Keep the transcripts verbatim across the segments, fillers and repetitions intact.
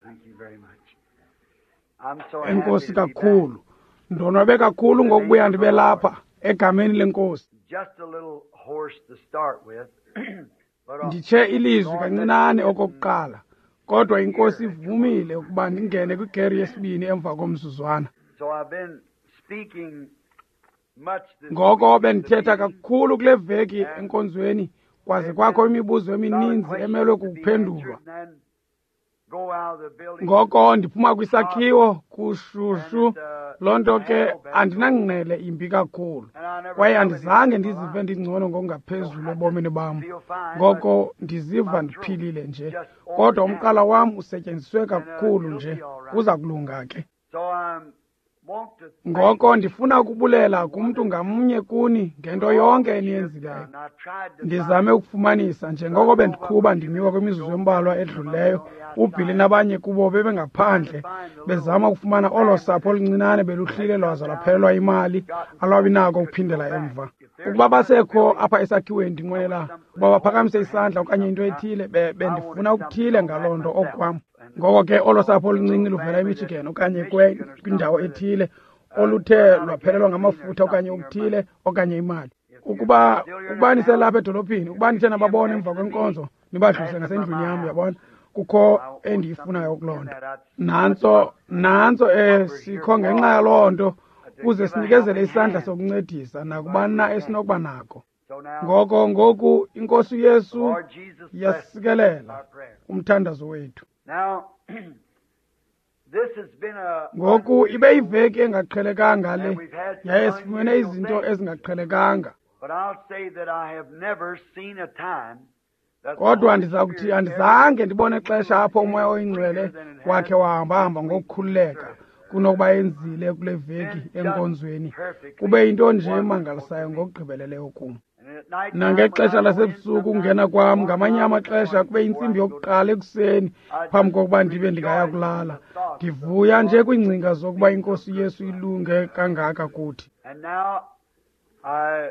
Thank you very much. I'm so happy Enkosi to be back. kakhulu. Ndonwabe kakhulu ngokubuya ndibe lapha egameni lenkosi. Just a little hoarse to start with, but uh, Nditshe ilizwi kancinane okokuqala, kodwa inkosi ivumile ukuba ndingene kwigeri yesibini emva komzuzwana. so I've been speaking much this Ngoko week at the bendithetha meeting. kakhulu kule veki enkonzweni, kwaze kwakho imibuzo emininzi emelwe kukuphendulwa. Ngoko ndiphuma kwisakhiwo kushushu, loo nto ke andinangqele imbi kakhulu, kwaye andizange ndizive ndingcono ngokungaphezulu ebomini bam. Ngoko ndiziva ndiphilile nje, kodwa umqala wam usetyenziswe kakhulu nje, kuza kulunga ke. Ngoko ndifuna ukubulela kumntu ngamnye kuni ngento yonke eniyenzileyo. Ndizame ukufumanisa njengoko bendiqhuba ndimiwa kwimizuzu embalwa edlulileyo, uBilly nabanye kubo bebengaphandle bezama ukufumana olo sapho oluncinane beluhlile lwaza lwaphelelwa imali, alwabi nako ukuphindela emva. Ukuba basekho apha esakhiweni, ndinqwenela ukuba baphakamise isandla okanye into ethile, be- bendifuna ukuthile ngaloo nto okwam. Ngoko ke olo sapho oluncinci luvela eMichigan okanye kwe- kwindawo ethile oluthe lwaphelelwa ngamafutha okanye okuthile okanye imali. Ukuba ukuba niselapha edolophini, ukuba nithe nababona emva kwenkonzo, nibadlulise ngasendlwini yam, uyabona, kukho endiyifunayo kuloo nto. Nantso nantso eh sikho ngenxa yaloo nto ukuze sinikezele isandla sokuncedisa nakubani na esinokuba nako. Ngoko ngoku inkosi uYesu yasikelela umthandazo wethu. Now, this has been a Ngoku ibe yiveki engaqhelekanga le, yaye sifumene izinto ezingaqhelekanga. But I'll say that I have never seen a time that the Kodwa Holy ndiza kuthi Spirit andizange ndibone xesha apho umoya oyingcwele wakhe wahambahamba ngokukhululeka kunokuba enzile kule veki enkonzweni. Kube yinto nje emangalisayo ngokugqibeleleyo kum. And at night time Nangexesha when I go in, lasebusuku ukungena kwam, ngamanye amaxesha kube yintsimbi yokuqala ekuseni phambi kokuba ndibe ndingaya kulala. Ndivuya nje kwiingcinga zokuba inkosi Yesu ilunge kangaka kuthi. And now, I,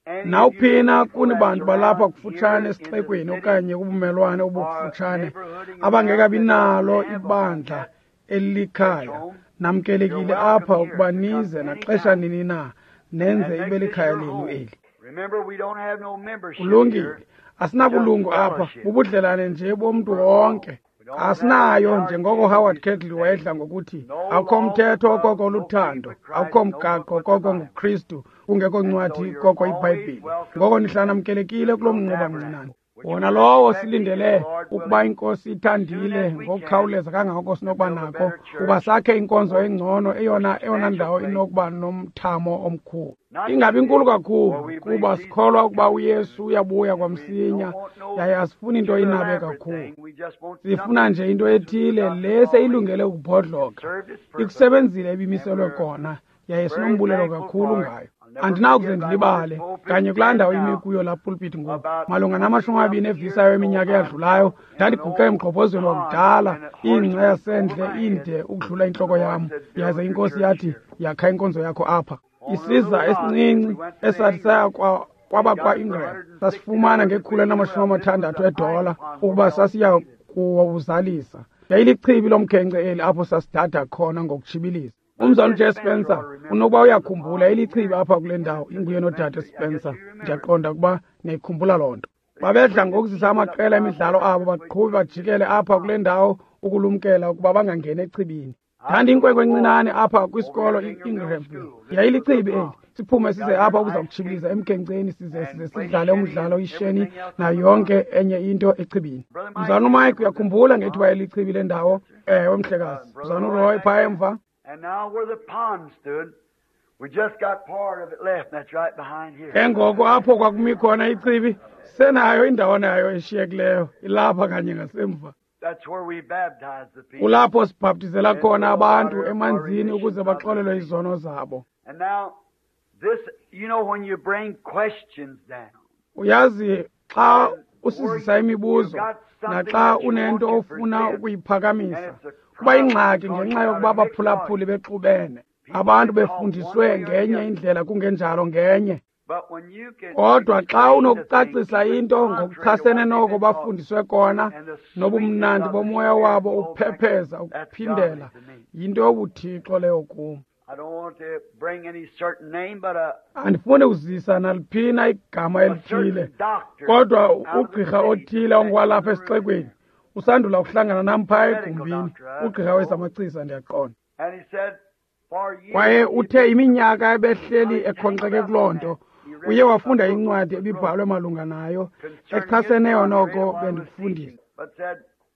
any of you Nawuphina people kuni that's bantu balapha around kufutshane here in the esixekweni city okanye kubumelwane or obukufutshane neighborhood abangekabi around that nalo don't have a ibandla home, elikhaya, namkelekile apha ukuba nize naxesha nini na nenze and ibe make this likhaya your lenu home. eli. Remember, we don't have no membership Kulungile, here. asinabulungu apha, bubudlelane nje bomntu wonke. Asinayo njengoko Howard Cadle wayedla ngokuthi, akukho mthetho koko luthando, akukho mgaqo koko nguKristu, kungekho ncwadi koko iBhayibhile. Ngoko nihlala namkelekile kulo mnquba mncinane. Wona lowo silindele ukuba inkosi ithandile ngokukhawuleza kangako sinokuba nako, kuba sakhe inkonzo engcono, eyona eyona ndawo inokuba nomthamo omkhulu. Ingabi inkulu kakhulu, kuba sikholwa ukuba uYesu uyabuya kwamsinya, yaye asifuni into inabe kakhulu. Sifuna nje into ethile le seyilungele ukubhodloka. Ikusebenzile ebimiselwe kona, yaye sinombulelo kakhulu ngayo. Andinakuze ndilibale kanye kulaa ndawo imi kuyo laa pulpit ngoku. Malunga namashumi amabini evisayo eminyaka eyadlulayo, ndandiguqe emgqobhozweni wakudala, ingca yasendle inde ukudlula intloko yam, yaze inkosi yathi, yakha inkonzo yakho apha. Isiza esincinci esathi saya kwa kwaba kwa-Ingram sasifumana ngekhulu elinamashumi amathandathu edola ukuba sasiya kuwuzalisa. Yayilichibi lomkhenkce eli apho sasidada khona ngokutshibiliza. Umzalwana uJay Spencer unokuba uyakhumbula, yayilichibi apha kule ndawo, inguye nodade Spencer. Ndiyaqonda ukuba niyayikhumbula loo nto. Babedla ngokuzisa amaqela emidlalo abo baqhube bajikele apha kule ndawo ukulumkela ukuba bangangeni echibini. Ndandiyinkwenkwe encinane apha kwisikolo i-Ingramville. Yayilichibi eli. Siphume size apha ukuza kutshibiliza emkhenkceni size size sidlale umdlalo isheni nayo yonke enye into echibini. Mzalwana uMike uyakhumbula ngethuba elichibi le ndawo? Ewe, mhlekazi. Mzalwana uRoy phaa emva. And now where the pond stood, we just got part of it left, and that's right behind here. Ke ngoko apho kwakumi khona ichibi, senayo indawana yayo eshiyekileyo, ilapha kanye ngasemva. That's where we baptize the people. Kulapho sibhaptizela khona abantu emanzini ukuze baxolelwe izono zabo. And now, this, you know, when you bring questions down, Uyazi xa usizisa imibuzo naxa unento ofuna ukuyiphakamisa, kuba ingxaki ngenxa yokuba abaphulaphuli bexubene, abantu befundiswe ngenye indlela kungenjalo ngenye. Kodwa xa unokucacisa into ngokuchasene noko bafundiswe kona, nobumnandi bomoya wabo uphepheza ukuphindela, yinto yobuthixo leyo kum. Andifuni kuzisa naliphina igama elithile, kodwa ugqirha othile ongowalapha esixekweni usandula ukuhlangana nam phaa egumbini, ugqirha wezamachiza ndiyaqonda. Kwaye uthe iminyaka ebehleli ekhonkxeke kuloo nto, uye wafunda incwadi ebibhalwe malunga nayo echaseneyo noko bendikufundisa.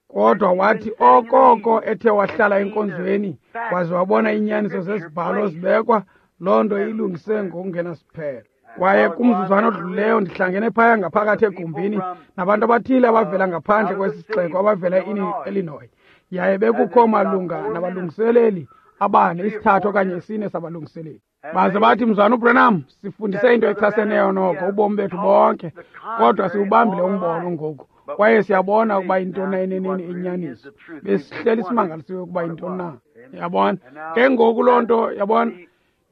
Kodwa wathi okoko ethe wahlala enkonzweni waze wabona iinyaniso zezibhalo zibekwa, loo nto ilungise ngokungenasiphelo. Kwaye kumzuzwana odlulileyo ndihlangene phaya ngaphakathi egumbini nabantu abathile abavela ngaphandle kwesi sixeko, abavela e-Illinois. Yaye bekukho malunga nabalungiseleli abane, isithathu okanye isine sabalungiseleli. Baze bathi, Mzwana uBranham, sifundise into echaseneyo noko ubomi bethu bonke, kodwa siwubambile umbono ngoku, kwaye siyabona ukuba yintoni na eneneni inyaniso. Besihleli simangalisiwe ukuba yintoni na. Yabona? Ke ngoku loo nto, yabona,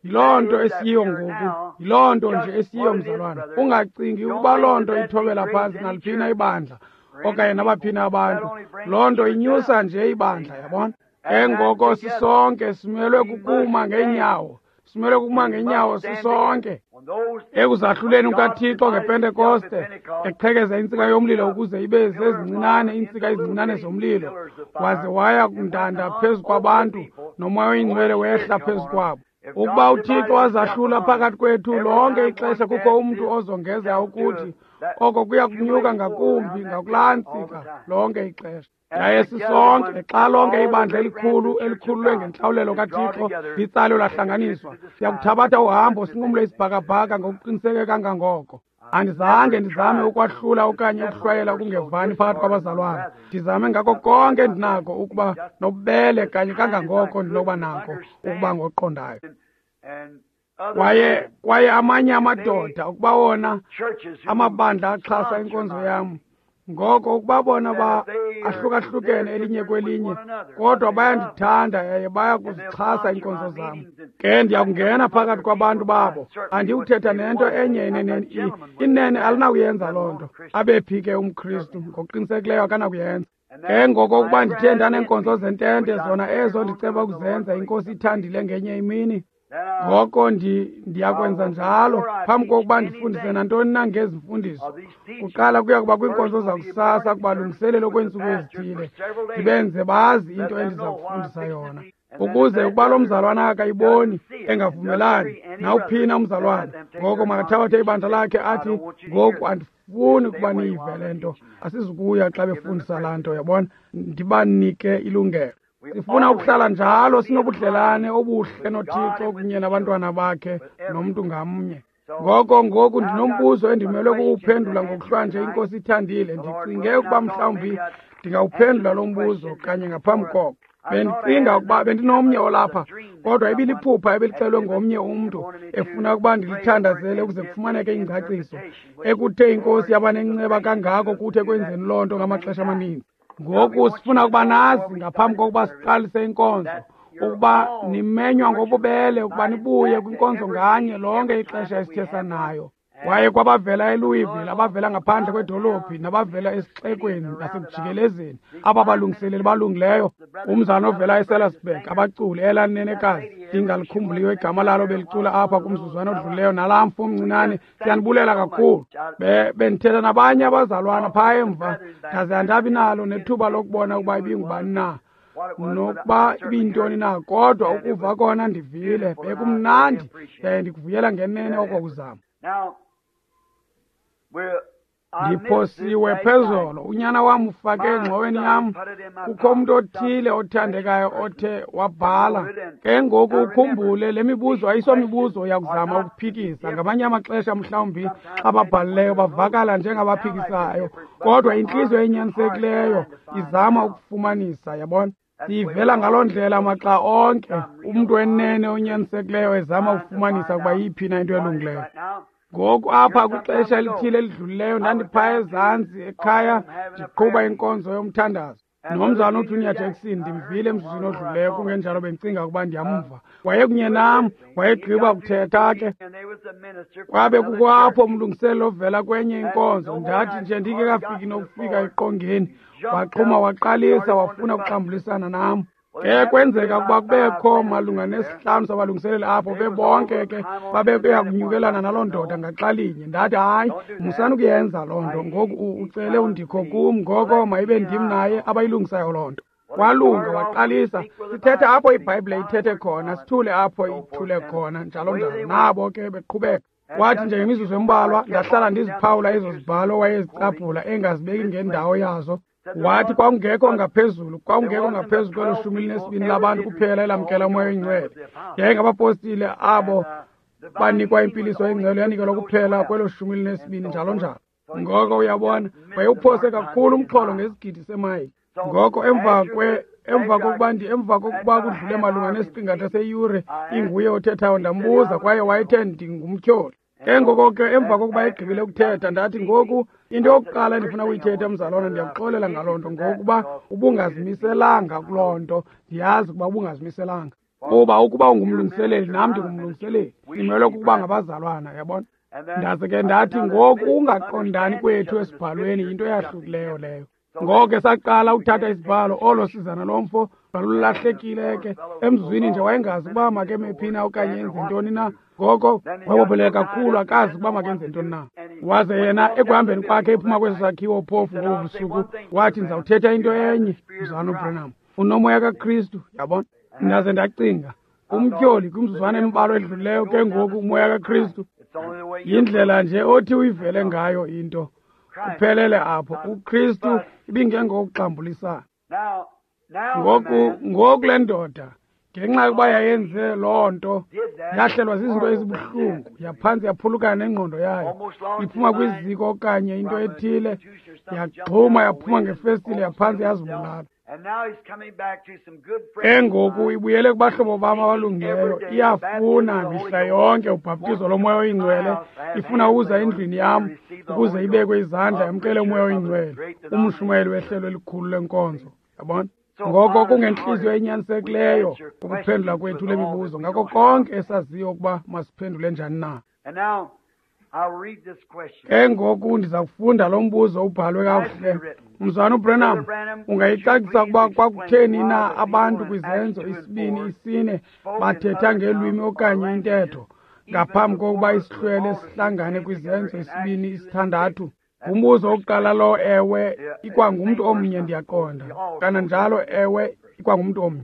yiloo nto esiyiyo ngoku, yiloo nto nje esiyiyo, mzalwana. Ungacingi ukuba loo nto ithobela phantsi naliphina ibandla okanye nabaphina abantu. Loo nto inyusa nje ibandla, yabona. Ke ngoko sisonke simelwe kukuma ngeenyawo, simelwe kukuma ngeenyawo sisonke. Ekuzahluleni kukaThixo ngePentekoste, eqhekeza intsika yomlilo ukuze ibe zezincinane iintsika ezincinane zomlilo, waze waya kundanda phezu kwabantu, noMoya oyiNgcwele wehla phezu kwabo. Ukuba uThixo wazahlula phakathi kwethu lonke ixesha kukho umntu ozongeza ukuthi oko kuya kunyuka ngakumbi ngakulaa ntsika lonke ixesha. Yaye sisonke xa lonke ibandla elikhulu elikhululwe ngentlawulelo kaThixo litsalwe lahlanganiswa, siyakuthabatha uhambo sinqumle isibhakabhaka ngokuqiniseke kangangoko. Andizange ndizame ukwahlula okanye ukuhlwayela ukungevani phakathi kwabazalwana. Ndizame ngako konke endinako ukuba nobubele kanye kangangoko ndinokuba nako ukuba ngoqondayo. Kwaye kwaye amanye amadoda ukuba wona amabandla axhasa inkonzo yam, ngoko ukuba bona ba ahlukahlukene elinye kwelinye, kodwa bayandithanda yaye baya kuzixhasa iinkonzo zam. Ke ndiyakungena phakathi kwabantu babo, andiyuthetha nento enye inene, inene alinakuyenza loo nto. Abephi ke umKristu? Ngokuqinisekileyo akanakuyenza. Ke ngoko ukuba ndithe ndaneenkonzo zentente, zona ezo ndiceba ukuzenza, iNkosi ithandile ngenye imini, ngoko ndi ndiyakwenza njalo phambi kokuba ndifundise nantoni na ngezi mfundiso. Kuqala kuya kuba kwiinkonzo zakusasa kubalungiselelo kweentsuku ezithile, ndibenze bazi into endiza kufundisa yona, ukuze ukuba lo mzalwana akayiboni engavumelani nawuphina umzalwana, ngoko makathabathe ibandla lakhe athi, ngoku andifuni ukuba niyive le nto, asizukuya xa befundisa laa nto, yabona, ndibanike ilungelo. Sifuna ukuhlala njalo sinobudlelane obuhle noThixo kunye nabantwana bakhe nomntu ngamnye. Ngoko ngoku ndinombuzo endimelwe kuwuphendula ngokuhlwanje, iNkosi ithandile. Ndicinge ukuba mhlawumbi ndingawuphendula lo mbuzo kanye ngaphambi koko. Bendicinga ukuba bendinomnye olapha, kodwa ibiliphupha ebelixelwe ngomnye umntu efuna ukuba ndilithandazele ukuze kufumaneke ingcaciso, ekuthe iNkosi yaba nenceba kangako kuthi ekwenzeni loo nto ngamaxesha amaninzi. Ngoku sifuna ukuba nazi ngaphambi kokuba siqalise inkonzo ukuba nimenywa ngobubele ukuba nibuye kwinkonzo nganye lonke ixesha esithe sanayo. Kwaye kwabavela eLouisville, abavela ngaphandle kwedolophi, nabavela esixekweni nasekujikelezeni, aba balungiseleli balungileyo, umzana ovela eSalisburg, abaculi elanenekazi ndingalikhumbuli igama lalo belicula apha kumzuzwana odlulileyo, nalaa mfo omncinane, siyanibulela kakhulu. Bendithetha nabanye abazalwana phaa emva, ndaze andabi nalo nethuba lokubona ukuba ibingubani na nokuba ibiyintoni na, kodwa ukuva kona ndivile, bekumnandi yaye ndikuvuyela ngenene oko kuzama. Ndiphosiwe phezolo, unyana wam ufake engxoweni yam, kukho umntu othile othandekayo othe wabhala. Ke ngoku ukhumbule, le mibuzo ayisomibuzo yakuzama ukuphikisa. Ngamanye amaxesha mhlawumbi xa babhalileyo bavakala njengabaphikisayo, kodwa intliziyo enyanisekileyo izama ukufumanisa, yabona. Siyivela ngaloo ndlela maxa onke, umntu enene onyanisekileyo ezama ukufumanisa ukuba yiphi na into elungileyo. Ngoku apha kwixesha elithile elidlulileyo ndandiphaa ezantsi ekhaya ndiqhuba inkonzo yomthandazo. Nomzana uJunior Jackson ndimvile emzuzwini odluleyo, kungenjalo bendicinga ukuba ndiyamva. Wayekunye nam, wayegqiba kuthetha ke. Kwabe kukho apho umlungiseleli ovela kwenye inkonzo. Ndathi nje ndingekafiki nokufika eqongeni, waxhuma waqalisa wafuna ukuxambulisana nam. Ke kwenzeka ukuba kubekho malunga nesihlanu sabalungiseleli apho, bebonke ke babebeya kunyukelana naloo ndoda ngaxalinye. Ndathi, hayi, musani ukuyenza loo nto. Ngoku ucele undikho kum, ngoko mayibe ndim naye abayilungisayo loo nto. Walunga waqalisa sithetha apho iBhayibhile ithethe khona, sithule apho ithule khona, njalo njalo. Nabo ke beqhubeka. Wathi nje ngemizuzu embalwa ndahlala ndiziphawula ezo zibhalo wayezicaphula engazibeki ngendawo yazo. Wathi kwakungekho ngaphezulu, kwakungekho ngaphezulu kwelo shumi elinesibini labantu kuphela elamkela uMoya oyiNgcwele. Yayingabapostile abo banikwa impiliso engcwele, yanikelwa kuphela kwelo shumi elinesibini, njalo njalo. Ngoko uyabona, wayewuphose kakhulu umxholo ngesigidi semayile. Ngoko emva kwe emva kokuba ndi emva kokuba kudlule malunga nesiqingatha seyure inguye othethayo, ndambuza, kwaye wayethe ndingumtyholi. Ke ngoko ke emva kokuba egqibile ukuthetha, ndathi, ngoku into yokuqala endifuna ukuyithetha, mzalwana, ndiyakuxolela ngaloo nto, ngokuba ubungazimiselanga kuloo nto. Ndiyazi ukuba ubungazimiselanga, kuba ukuba ungumlungiseleli nam ndingumlungiseleli, simelwe kukuba ngabazalwana, yabona. Ndaze ke ndathi, ngoku ungaqondani kwethu esibhalweni yinto eyahlukileyo leyo. Ngoko ke saqala ukuthatha isibhalo, olo sizana lomfo lwalulahlekile ke. Emzuzwini nje wayengazi ukuba makeme phi na okanye enze ntoni na. Ngoko wabopheleka kakhulu, akazi ukuba makenze ntoni na. Waze yena ekuhambeni kwakhe ephuma kweso sakhiwo phofu ngobu busuku, wathi, ndizawuthetha into enye, mzalwana uBranham, unomoya kaKristu, yabona. Ndaze ndacinga, umtyholi kwimizuzwana embalwa edlulileyo, ke ngoku umoya kaKristu yindlela nje othi uyivele ngayo into. Kuphelele apho. UKristu ibingengokuxambulisana. Ngoku ngoku le ndoda, ngenxa yokuba yayenze loo nto, yahlelwa zizinto ezibuhlungu, yaphantsi yaphulukana nengqondo yayo, iphuma kwiziko okanye into ethile, yaxhuma yaphuma ngefestile, yaphantsi yazibulala. Ke ngoku ibuyele kubahlobo bam abalungileyo, iyafuna mihla yonke ubhaptizo loMoya oyiNgcwele, ifuna ukuza endlwini yam ukuze ibekwe izandla yamkele uMoya oyiNgcwele, umshumayeli wehlelo elikhulu lenkonzo, yabona. Ngoko kungentliziyo enyanisekileyo ukuphendula kwethu le mibuzo ngako konke esaziyo ukuba masiphendule njani na. Ke ngoku ndiza kufunda lo mbuzo ubhalwe kakuhle. Mzalwana uBranham, ungayicacisa ukuba kwakutheni na abantu kwizenzo isibini isine bathetha ngelwimi okanye intetho ngaphambi kokuba isihlwele sihlangane kwizenzo isibini isithandathu? Ngumbuzo wokuqala lo, ewe, ikwangumntu omnye, ndiyaqonda. Kananjalo, ewe, ikwangumntu omnye.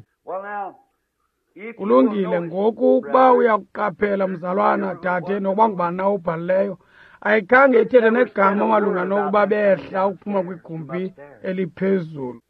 Kulungile, ngoku ukuba uyakuqaphela, mzalwana, dade, nokuba ngubani na obhalileyo, ayikhange ithethe negama malunga nokuba behla ukuphuma kwigumbi eliphezulu.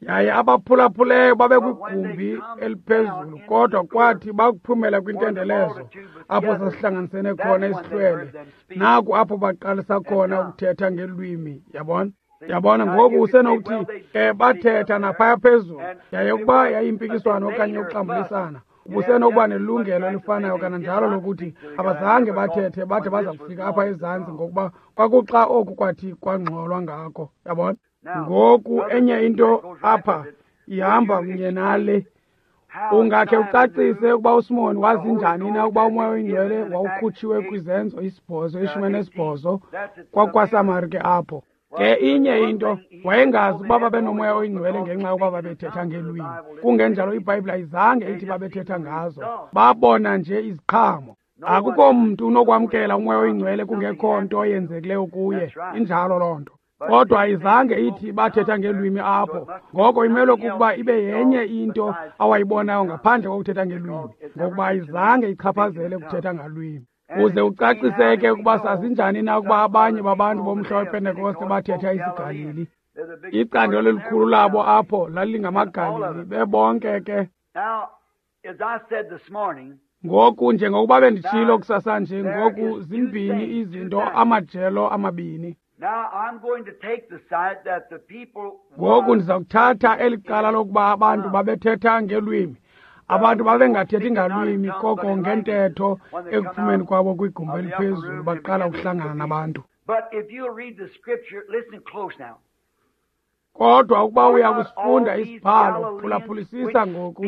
Yaye abaphulaphuleyo babekwigumbi eliphezulu, kodwa kwathi bakuphumela kwintendelezo apho sasihlanganisene khona isihlwele, naku apho baqalisa khona ukuthetha ngelwimi, yabona. Yabona, ngoku usenokuthi ke bathetha naphaya phezulu, yaye ukuba yayimpikiswano okanye ukuxambulisana, ubusenokuba nelungelo elifanayo kananjalo lokuthi abazange bathethe bade baza kufika apha ezantsi, ngokuba kwakuxa oku kwathi kwangxolwa ngako, yabona. Ngoku enye into apha ihamba kunye nale. Ungakhe ucacise ukuba uSimon wazi njani na ukuba uMoya oyiNgcwele wawukhutshiwe kwizenzo isibhozo, ishumi nesibhozo, kwakwaSamari ke apho. Ke inye into, wayengazi ukuba babenomoya oyingcwele ngenxa yokuba babethetha ngeelwimi. Kungenjalo iBhayibhile ayizange ithi babethetha ngazo. Babona nje iziqhamo. Akukho mntu unokwamkela umoya oyingcwele kungekho nto yenzekileyo kuye. Injalo loo nto. Kodwa ayizange ithi bathetha ngeelwimi apho. Ngoko imelwe kukuba ibe yenye into awayibonayo ngaphandle kokuthetha ngeelwimi, ngokuba ayizange ichaphazele ukuthetha ngalwimi. Uze ucaciseke ukuba sazinjani na ukuba abanye babantu bomhla wePentekoste bathetha isiGalili. Icandelo elikhulu labo apho lalingamaGalili, bebonke ke. Ngoku njengokuba benditshilo kusasa nje, ngoku zimbini izinto, amajelo amabini. Ngoku ndiza kuthatha eli cala lokuba abantu babethetha ngelwimi. Abantu babengathethi ngalwimi koko ngentetho ekuphumeni kwabo kwigumbi eliphezulu baqala ukuhlangana nabantu. Kodwa ukuba uya kusifunda isibhalo, phulaphulisisa ngoku,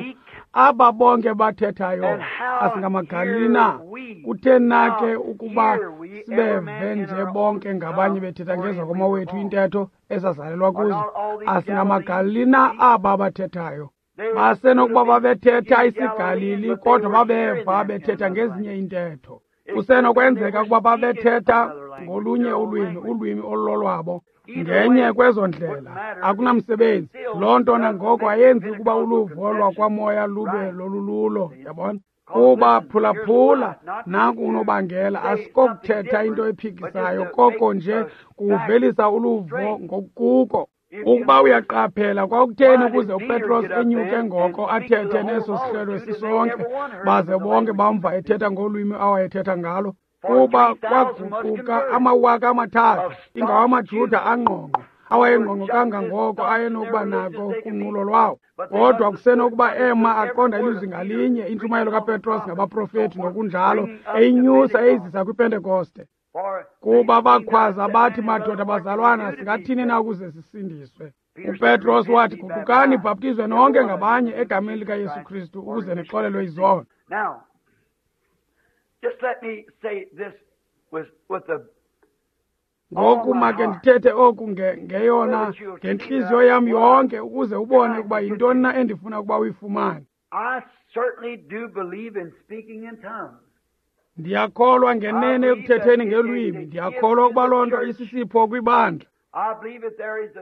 aba bonke bathethayo asingamaGalili na? Kutheni na ke ukuba sibeve nje bonke ngabanye bethetha ngezakomawethu intetho esazalelwa kuzo? AsingamaGalili na aba bathethayo? Basenokuba babethetha isiGalili, kodwa babeva bethetha ngezinye intetho. Kusenokwenzeka ukuba babethetha ngolunye ulwimi, ulwimi olulolwabo. Ngenye kwezo ndlela akunamsebenzi. Loo nto nangoko ayenzi ukuba uluvo lwakwamoya lube lolululo, yabona? Kuba phulaphula, nanku unobangela, asikokuthetha into ephikisayo, koko nje kuvelisa uluvo ngokukuko. Ukuba uyaqaphela, kwakutheni ukuze uPetros enyuke ngoko athethe neso sihlelo sisonke, baze bonke bamva ethetha ngolwimi awayethetha ngalo? Kuba kwaguquka amawaka amathathu, ingawamaJuda angqongqo, awayengqongqo kangangoko ayenokuba nako kunqulo lwawo. Kodwa kusenokuba ema aqonda ilizwi ngalinye, intshumayelo kaPetros ngabaprofethi nokunjalo, eyinyusa eyizisa kwiPentekoste. Kuba bakhwaza bathi, madoda bazalwana, singathini na ukuze sisindiswe? UPetros wathi, guqukani bhaptizwe nonke ngabanye egameni likaYesu Kristu ukuze nixolelwe izono. Just let me say this with, with the Ngoku make ndithethe oku ngeyona ngentliziyo yam yonke ukuze ubone ukuba yintoni na endifuna ukuba uyifumane. I certainly do believe in speaking in tongues. Ndiyakholwa ngenene ekuthetheni ngelwimi. Ndiyakholwa ukuba loo nto isisipho kwibandla.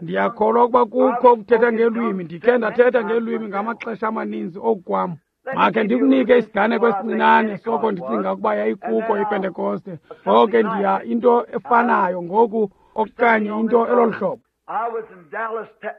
Ndiyakholwa ukuba kukho ukuthetha ngelwimi. Ndikhe ndathetha ngelwimi ngamaxesha amaninzi oku kwam. Makhe ndikunike isiganeko esincinane soko ndicinga ukuba yayikuko iPentekoste. Ngoko ndiya into efanayo ngoku okanye into elolu hlobo.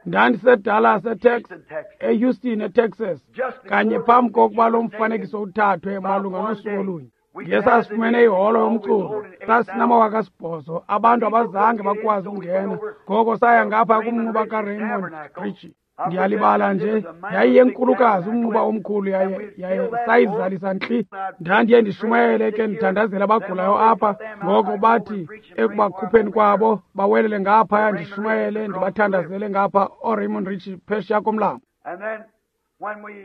NdandiseDallas eTexas, eHouston eTexas, kanye phambi kokuba lo mfanekiso uthathwe malunga nosuku olunye. Ndiye sasifumene iholo yomculo, sasinamawaka asibhozo, abantu abazange bakwazi ukungena. Ngoko saya ngapha kumnquba kaRaymond Ritchie. Ndiyalibala nje, yayiyenkulukazi umnquba omkhulu, yaye yaye sayizalisa ntli. Ndandiye ndishumayele ke ndithandazela abagulayo apha. Ngoko bathi ekubakhupheni kwabo bawelele ngaphaya, ndishumayele ndibathandazele ngapha ooRaymond Ritchie phesheya komlambo.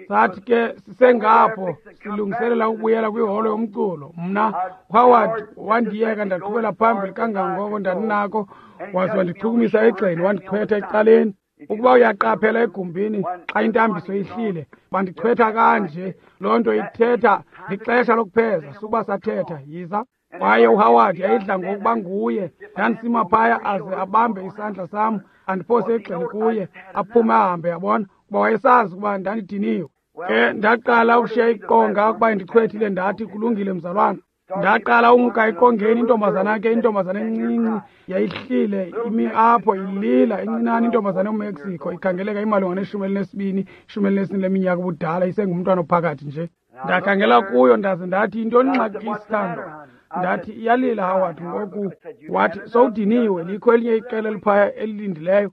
Sathi ke sisengapho silungiselela ukubuyela kwiholo yomculo, mna Howard wandiyeka ndaqhubela phambili kangangoko ndandinako, waze wandichukumisa egxeni wandichwetha ecaleni. Ukuba uyaqaphela egumbini xa intambiso ihlile, bandichwetha kanje, loo nto ithetha lixesha lokupheza, sukuba sathetha, yiza. Kwaye uHoward yayidla ngokuba nguye, ndandisima phaya aze abambe isandla sam, andiphose egxeni kuye, aphume ahambe, yabona, kuba wayesazi ukuba ndandidiniwe. Ke ndaqala ukushiya iqonga ukuba ndichwethile, ndathi kulungile mzalwana. Ndaqala umka eqongeni, intombazana ke, intombazana encinci yayihlile imi apho ilila, incinane intombazana yoMexico, ikhangeleka imalunga neshumi elinesibini, ishumi elinesine leminyaka ubudala, isengumntwana ophakathi nje. Ndakhangela kuyo ndaze ndathi, yintoni ingxaki sithandwa? Ndathi, iyalila Howard ngoku. Wathi, sowudiniwe, likho elinye iqela eliphaya elilindileyo.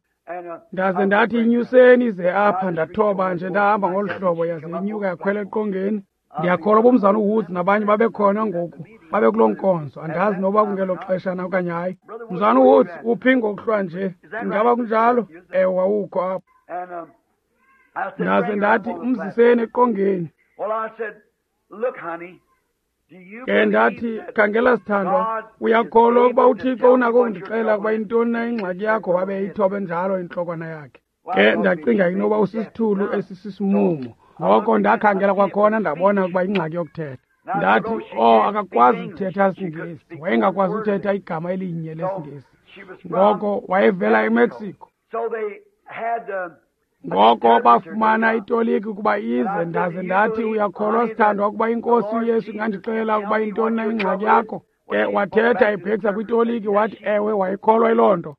Ndaze ndathi, inyuseni ize apha. Ndathoba nje ndahamba ngolu hlobo, yaze inyuka yakhwela eqongeni. Ndiyakholwa bomzana uWoods nabanye babekhona ngoku, babe kuloo nkonzo. Andazi noba kungelo xesha na okanye hayi. Mzana uWoods, uphi ngokuhlwa nje? Ingaba kunjalo? Ewe, wawukho apho. Ndaze ndathi, umziseni eqongeni. Ke ndathi, khangela sithandwa, uyakholwa ukuba uThixo unako ukundixelela ukuba yintoni na ingxaki yakho? Wabe eyithobe njalo intlokwana yakhe. Ke ndacinga inoba usisithulu esisisimumu. Ngoko ndakhangela kwakhona ndabona ukuba ingxaki yokuthetha. Ndathi, oh, akakwazi ukuthetha isiNgesi. Wayengakwazi ukuthetha igama elinye lesiNgesi. Ngoko wayevela eMexico. Ngoko bafumana itoliki ukuba ize. Ndaze ndathi, uyakholwa sithandwa ukuba iNkosi uYesu ingandixelela ukuba yintoni na ingxaki yakho? Ke wathetha ebhekisa kwitoliki, wathi ewe, wayikholwa yiloo nto.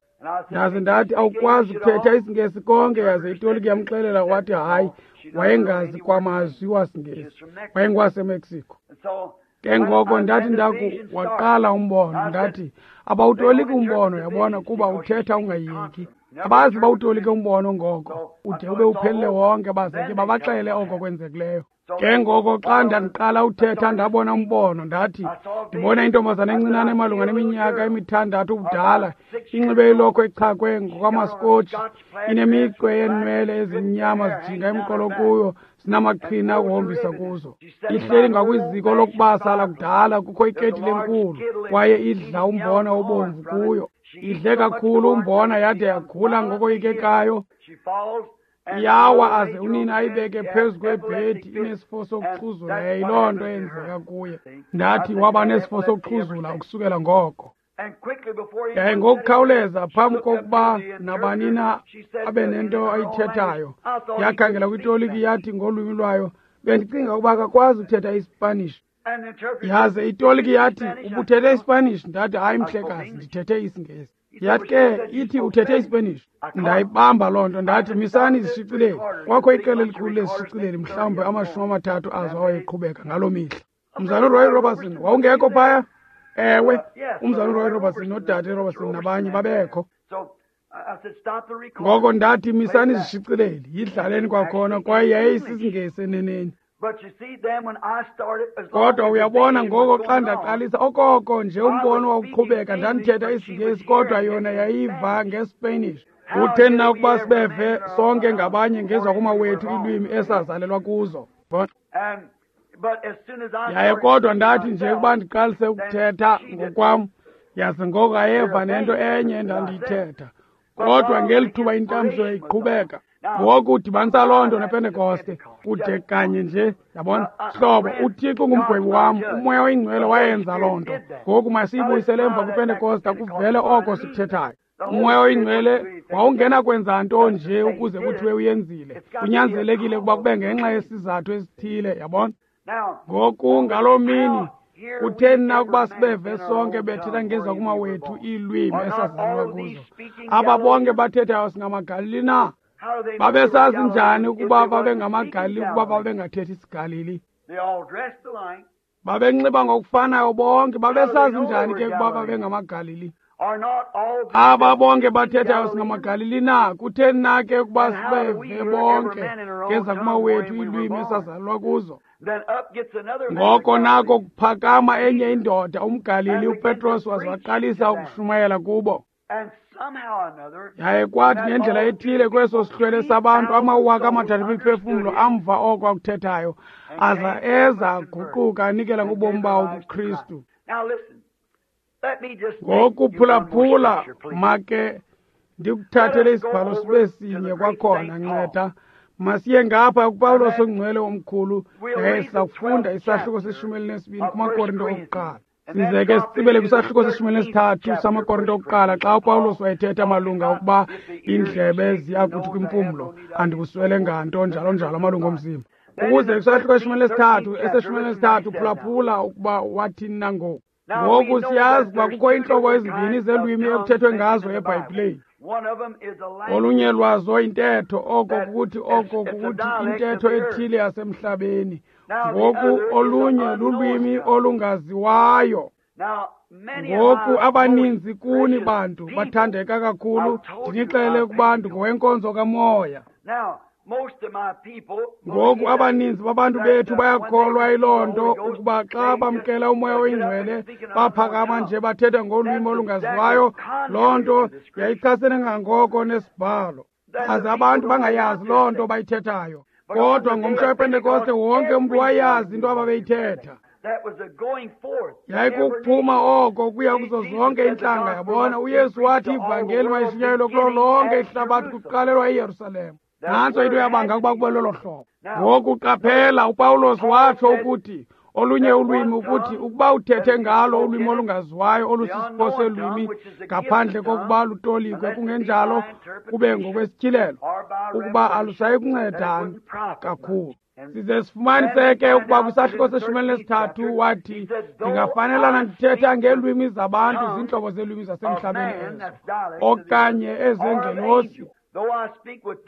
Ndaze ndathi, awukwazi ukuthetha isiNgesi konke? Yaze itoliki yamxelela, wathi hayi, wayengazi kwamazwi wasiNgesi, wayengowaseMexico. Ke ngoko ndathi ndaku waqala umbono, ndathi abawutoliki umbono, yabona, kuba uthetha ungayeki. Abazi bawutolike umbono ngoko ude ube uphelile wonke, baze ke babaxele oko kwenzekileyo. Ke ngoko xa ndandiqala uthetha ndabona umbono, ndathi ndibona intombazana encinane malunga neminyaka emithandathu ubudala, inxibe ilokhwe echakwe ngokwamaskotshi, inemicwe yeenwele ezimnyama zijinga emqolo kuyo, zinamaqhina akuhombisa kuzo. Ihleli ngakwiziko lokubasa lakudala, kukho iketile enkulu kwaye idla umbona obomvu kuyo. Idle kakhulu umbona yade yagula ngokoyikekayo. Yawa aze unina ayibeke phezu kwebhedi inesifo sokuxhuzula. Yayiloo nto eyenzeka kuye. Ndathi waba nesifo sokuxhuzula ukusukela ngoko. Yaye ngokukhawuleza phambi kokuba nabani na abe nento ayithethayo, yakhangela kwitoliki yathi ngolwimi lwayo, bendicinga ukuba akakwazi uthetha iSpanish. Yaze itoliki yathi, ubuthethe iSpanish? Ndathi, hayi mhlekazi, ndithethe isiNgesi. Yathi ke ithi uthethe iSpanish. Ndayibamba loo nto, ndathi misani izishicileli. Kwakho iqela elikhulu lezishicileli, mhlawumbi amashumi amathathu azo awayeqhubeka ngaloo mihla. Umzalwana uRoy Robertson wawungekho phaya? Ewe, umzalwana uRoy Robertson nodade Robertson nabanye babekho. Ngoko ndathi misani izishicileli, yidlaleni kwakhona, kwaye yayisisiNgesi eneneni. Kodwa uyabona ngoko xa ndaqalisa okoko nje umbono wawuqhubeka, ndandithetha isiNgesi kodwa yona yayiva ngeSpanish. Kutheni na ukuba sibeve sonke ngabanye ngezakumawethu iilwimi esazalelwa kuzo? Yaye kodwa ndathi nje ukuba ndiqalise ukuthetha ngokwam, yaze ngoko ayeva nento enye endandiyithetha. Kodwa ngeli thuba intambiso yayiqhubeka. Ngoku udibanisa loo nto nePentekoste kude kanye nje, yabona. Hlobo, uThixo ngumgwebi wam, uMoya oyiNgcwele wayenza loo nto. Ngoku masiyibuyisele emva kwiPentekoste kuvele oko sikuthethayo. uMoya oyiNgcwele wawungena kwenza nto nje ukuze kuthiwe uyenzile. Kunyanzelekile ukuba kube ngenxa yesizathu esithile, yabona. Ngoku ngaloo mini kutheni na ukuba sibeve sonke bethetha ngezakumawethu iilwimi esazalelwa kuzo? Aba bonke bathethayo singamaGalili na? Babesazi njani ukuba babengamaGalili ukuba babengathethi isiGalili? Babenxiba ngokufanayo bonke. Babesazi njani ke ukuba babengamaGalili? Aba bonke bathethayo singamaGalili na? Kutheni na ke ukuba sibeve bonke ngezakumawethu iilwimi esazalelwa kuzo? Ngoko nako kuphakama enye indoda, umGalili uPetros, waze waqalisa ukushumayela kubo. Yaye kwathi ngendlela ethile kweso sihlwele sabantu amawaka amathathu emiphefumlo amva oko akuthethayo, aza eza aguquka anikela ngobomi bawo kuKristu. Ngoku phulaphula, make ndikuthathele isibhalo sibe sinye kwakhona, nceda. Masiye ngapha kuPawulos ongcwele omkhulu, yaye sizakufunda isahluko seshumi elinesibini kumaKorinto okuqala. Size ke sitsibele kwisahluko seshumi elinesithathu samaKorinto okuqala, xa uPawulos wayethetha malunga ukuba iindlebe ziya kuthi kwimpumlo, andikuswele nganto, njalo njalo amalungu omzimba. Ukuze kwisahluko seshumi elinesithathu, eseshumi elinesithathu, phulaphula ukuba wathini na ngoku. Ngoku siyazi ukuba kukho iintlobo ezimbini zeelwimi ekuthethwe ngazo eBhayibhileni. Olunye lwazo intetho, oko kukuthi oko kukuthi intetho ethile yasemhlabeni. Ngoku olunye lulwimi olungaziwayo. Ngoku abaninzi kuni bantu bathandeka kakhulu, ndinixelele ukuba ndingowenkonzo kamoya. Ngoku abaninzi babantu bethu bayakholwa yiloo nto, ukuba xa bamkela uMoya oyiNgcwele baphakama nje bathetha ngolwimi olungaziwayo. Loo nto yayichasene ngangoko nesibhalo, aze abantu bangayazi loo nto bayithethayo. Kodwa ngomhla wePentekoste wonke umntu wayazi into ababeyithetha. Yayikukuphuma oko kuya kuzo zonke iintlanga, yabona. uYesu wathi ivangeli mayishunyayelwe kulo lonke ihlabathi kuqalelwa eYerusalem. Nantso into yabanga ukuba kube lolo hlobo. Ngoku qaphela, uPawulos watsho ukuthi olunye ulwimi, ukuthi ukuba uthethe ngalo ulwimi olungaziwayo olusisipho selwimi ngaphandle kokuba lutolikwe, kungenjalo kube ngokwesityhilelo, ukuba alusayi kunceda kakhulu. Size sifumanise ke ukuba kwisahluko seshumi elinesithathu wathi, ndingafanelana ndithetha ngeelwimi zabantu, ziintlobo zeelwimi zasemhlabeni ezo, okanye ezengelosi.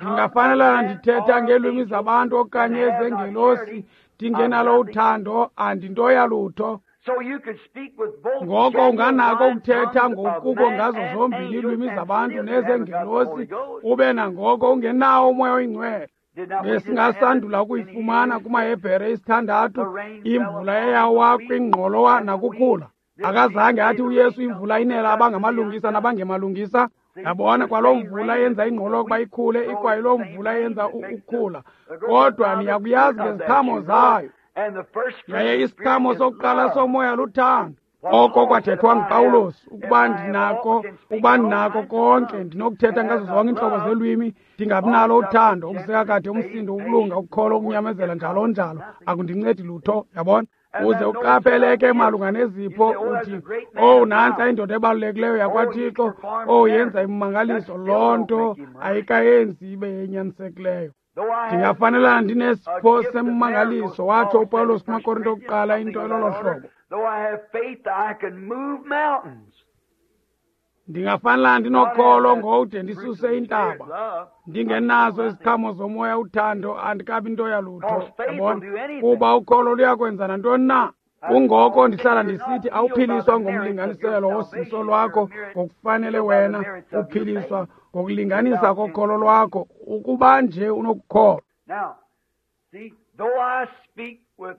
Ndingafanelana ndithetha ngeelwimi zabantu okanye ezengelosi, ndingenalo uthando, andinto yalutho. Ngoko unganako ukuthetha ngokukuko ngazo zombini iilwimi zabantu nezengelosi, ube nangoko ungenawo uMoya oyiNgcwele. Besingasandula ukuyifumana kumaHebhere isithandathu imvula eyawa kwingqolowa nakukhula. Akazange athi uYesu imvula inela abangamalungisa nabangemalungisa. Yabona, kwaloo mvula yenza ingqolowa ukuba ikhule, ikwayiloo mvula yenza ukukhula. Kodwa niyakuyazi ngeziqhamo zayo. Yaye isiqhamo sokuqala somoya luthando. Oko kwathethwa nguPawulos, ukuba ndinako, ukuba ndinako konke, ndinokuthetha ngazo zonke iintlobo zelwimi, ndingabinalo uthando, ukuseka kade, umsindo, ukulunga, ukukholwa, ukunyamezela, njalo njalo, akundincedi lutho. Yabona? Uze uqapheleke malunga nezipho, uthi, oh, nantsa indoda ebalulekileyo yakwaThixo, oh, yenza imimangaliso. Loo nto ayikayenzi ibe yenyanisekileyo. Ndingafanelana ndinesipho semmangaliso, watsho uPawulos kumaKorinto okuqala, into elolo hlobo. Ndingafanelana ndinokholo ngowude ndisuse intaba, ndingenazo iziqhamo zomoya uthando, andikabi nto yalutho. Yabona, kuba ukholo luyakwenza nantoni na. Kungoko ndihlala ndisithi awuphiliswa ngomlinganiselo wosindiso lwakho ngokufanele wena, uphiliswa ngokulinganisa kokholo lwakho, ukuba nje unokukholwa.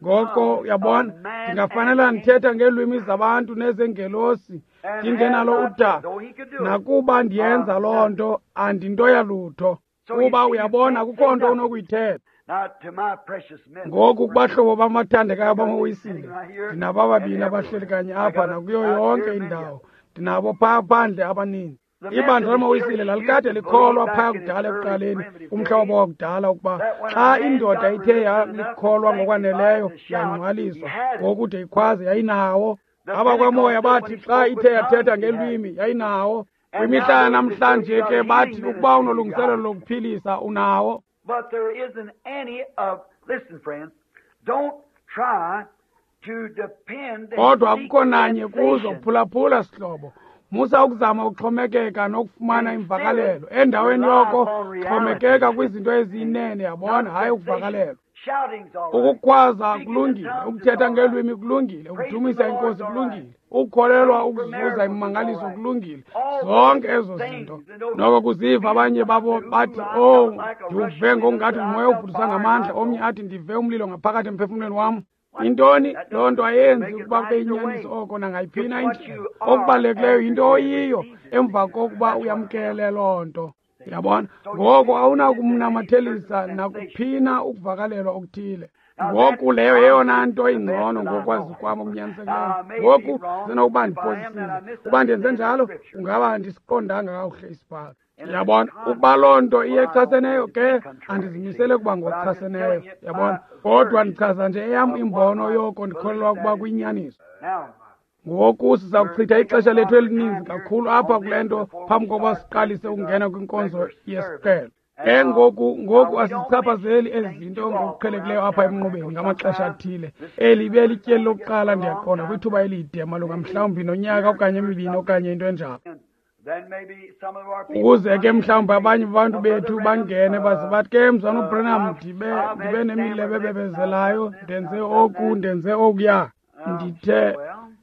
Ngoko uyabona, ndingafanela ndithetha ngeelwimi zabantu nezengelosi, ndingenalo uthando. Nakuba ndiyenza loo nto, andinto yalutho. Kuba uyabona, akukho nto unokuyithetha. Ngoku kubahlobo bamathandekayo bamaWisile, ndinabo ababini abahleli kanye apha nakuyo yonke indawo. Ndinabo phaa phandle abaninzi. Ibandla lamaWisile lalikade likholwa phaa kudala ekuqaleni, kumhla wabo wakudala, ukuba xa indoda ithe yalikholwa ngokwaneleyo yangcwaliswa ngokude ikhwaze, yayinawo. Abakwamoya bathi xa ithe yathetha ngelwimi yayinawo. Kwimihla yanamhlanje ke bathi ukuba unolungiselelo lokuphilisa unawo. But there isn't any of, listen friends, don't try to depend. Kodwa akukho nanye kuzo, phulaphula sihlobo. Musa ukuzama ukuxhomekeka nokufumana imvakalelo. Endaweni yoko xhomekeka kwizinto eziyinene, yabona, hayi ukuvakalelwa. Ukukhwaza kulungile, ukuthetha ngelwimi kulungile, ukudumisa iNkosi kulungile, ukukholelwa ukuzuza imimangaliso kulungile, zonke ezo zinto. Noko kuziva abanye babo bathi, oh, ndiwuve ngokungathi ngumoya ovuthuza ngamandla, omnye athi ndive umlilo ngaphakathi emphefumlweni wam. Intoni? Loo nto ayenzi ukuba kube yinyaniso oko nangayiphina indlela. Okubalulekileyo yinto oyiyo emva kokuba uyamkele loo nto. Yabona? Ngoko awunakumnamathelisa nakuphina ukuvakalelwa okuthile. Ngoku leyo yeyona nto ingcono ngokwazi kwam okunyanisekileyo. Ngoku senokuba ndiphosisile. Ukuba ndenze njalo, kungaba andisiqondanga kakuhle isibhalo. Yabona, ukuba loo nto iyechaseneyo ke andizimisele kuba ngochaseneyo, yabona. Kodwa ndichaza nje eyam imbono yoko ndikholelwa ukuba kuyinyaniso. Ngoku siza kuchitha ixesha lethu elininzi kakhulu apha kule nto phambi kokuba siqalise ukungena kwinkonzo yesiqhelo. Ke ngoku ngoku asizichaphazeli ezi zinto ngokuqhelekileyo apha emnqubeni ngamaxesha athile. Eli ibe lityeli lokuqala ndiyaqonda kwithuba elide malunga mhlawumbi nonyaka okanye emibini okanye into enjalo. Ukuze ke mhlawumbi abanye babantu bethu bangene baze bathi ke mzwana uBranham ndibe ndibe nemilebe ebebezelayo, ndenze oku, ndenze okuya. Ndithe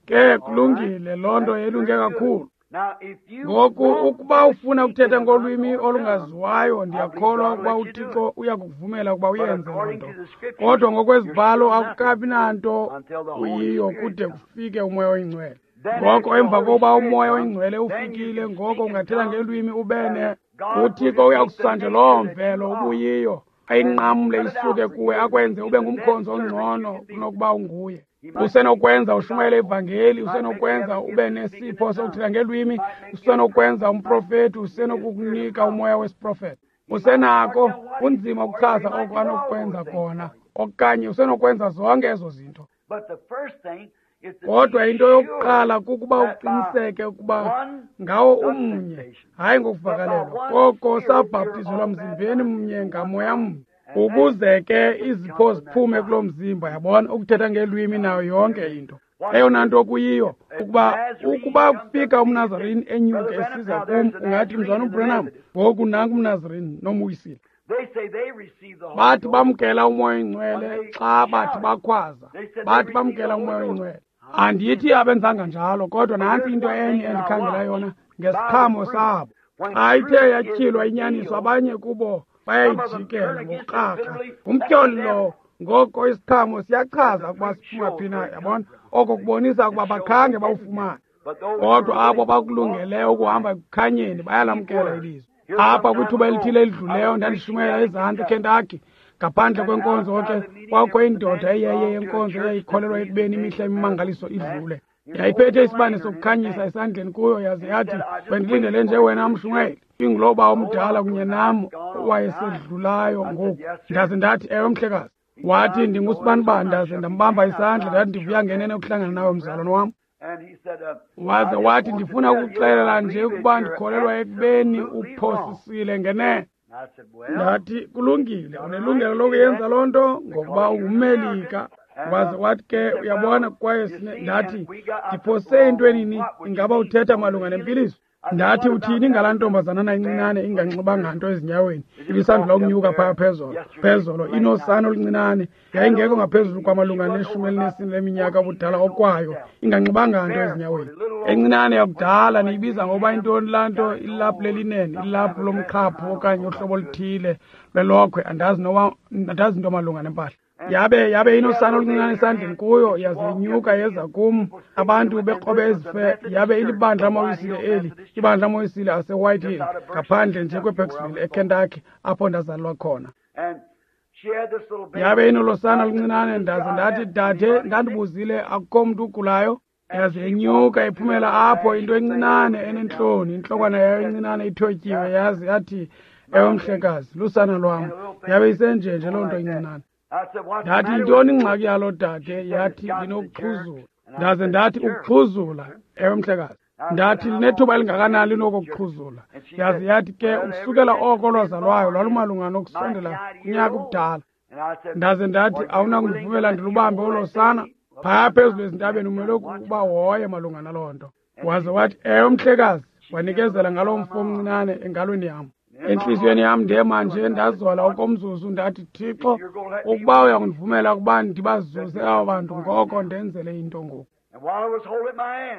ke kulungile, loo nto yelunge kakhulu. Ngoku ukuba ufuna ukuthetha ngolwimi olungaziwayo, ndiyakholwa ukuba uThixo uyakuvumela ukuba uyenze loo nto. Kodwa ngokwezibhalo akukabi nanto uyiyo kude kufike uMoya oyiNgcwele. Ngoko emva kokuba uMoya oyiNgcwele ufikile, ngoko ungathetha ngelwimi ubene uThixo uyakususa nje loo mvelo ubuyiyo, ayinqamle isuke kuwe, akwenze ube ngumkhonzi ongcono kunokuba unguye. Usenokwenza ushumayele ivangeli, usenokwenza ube nesipho sokuthetha ngelwimi, usenokwenza umprofeti, usenokukunika umoya wesiprofeto. Usenako, kunzima ukuchaza oko anokwenza kona, okanye usenokwenza zonke ezo zinto. Kodwa into yokuqala kukuba uqiniseke ukuba ngawo umnye, hayi ngokuvakalelwa, koko sabhaptizelwa mzimbeni mnye ngamoya mnye, ukuze ke izipho ziphume kuloo mzimba, yabona, ukuthetha ngelwimi nayo yonke into. Eyona nto kuyiyo ukuba ukuba kufika umNazarini enyuke esiza kum, ungathi mzwana uBranham, ngoku nanku umNazarini nomwisile. Bathi bamkela uMoya oyiNgcwele xa bathi bakhwaza, bathi bamkela uMoya oyiNgcwele. Andithi abenzanga njalo, kodwa nantsi into enye endikhangela yona ngesiqhamo sabo. Xa ithe yatyhilwa inyaniso, abanye kubo bayayijikela ngokukrakra. Ngumtyholi lowo. Ngoko isiqhamo siyachaza ukuba siphuma phi na, yabona? Oko kubonisa ukuba bakhange bawufumane. Kodwa abo bakulungeleyo ukuhamba ekukhanyeni bayalamkela ilizwi. Apha kwithuba elithile elidluleyo ndandishumayela ezantsi eKentucky. Ngaphandle kwenkonzo ke kwakho indoda eyeye yenkonzo eyayikholelwa ekubeni imihla imimangaliso idlule. Yayiphethe isibane sokukhanyisa esandleni kuyo, yaze yathi, bendilindele nje wena mshumayeli. Inguloba omdala kunye nam owayesedlulayo ngoku. Ndaze ndathi, ewe mhlekazi. Wathi, ndingusibanibani. Ndaze ndambamba isandla, ndathi, ndivuya ngenene ukuhlangana nawe mzalwane wam. Waze wathi, ndifuna ukuxelela nje ukuba ndikholelwa ekubeni uphosisile ngenene. Ndathi, kulungile, unelungelo lokuyenza loo nto ngokuba ungummelika. Waze wathi ke, uyabona, kwaye ndathi, ndiphose entwenini? Ingaba uthetha malunga nempiliso? Ndathi, uthini ngalaa ntombazanana incinane inganxibanga nto ezinyaweni, ibisandula ukunyuka phaya phezolo phezolo inosana oluncinane, yayingekho ngaphezulu kwamalunga neshumi elinesine leminyaka ubudala okwayo, inganxibanga nto ezinyaweni, encinane yakudala. Niyibiza ngoba intoni laa nto? Ilaphu lelinene, ilaphu lomqhaphu okanye uhlobo oluthile lwelokhwe, andazi noba andazi into malunga nempahla. Yabe yabe inosana oluncinane esandleni kuyo, yaze inyuka yeza kum, abantu bekrobe ezife. Yabe ilibandla amawisile eli, ibandla amawisile aseWhite Hill, ngaphandle nje kweBurkesville eKentucky, apho ndazalelwa khona. Yabe inolosana oluncinane. Ndaze ndathi, dade, ndandibuzile, akukho mntu ugulayo? Yaze inyuka iphumela apho, into encinane enentloni, intlokwana yayo encinane ithotyiwe, yaze yathi, ewe mhlekazi, lusana lwam. Yabe isenjenje loo nto incinane. Ndathi, yintoni ingxaki yalo dade? Yathi, ndinokuxhuzula. Ndaze ndathi, ukuxhuzula? Ewe mhlekazi. Ndathi, linethuba elingakanani linokuxhuzula? Yaze yathi ke, ukusukela oko lwazalwayo lwalumalunga nokusondela kunyaka ubudala. Ndaze ndathi, awunakundivumela ndilubambe olo sana? Phaya phezulu ezintabeni umele ukuba hoye malunga naloo nto. Waze wathi, ewe mhlekazi. Wanikezela ngaloo mfo omncinane engalweni yam. Entliziyweni yam ndema nje ndazola okomzuzu, ndathi, Thixo, ukuba uyakundivumela ukuba ndibazuze aba bantu, ngoko ndenzele into ngoku.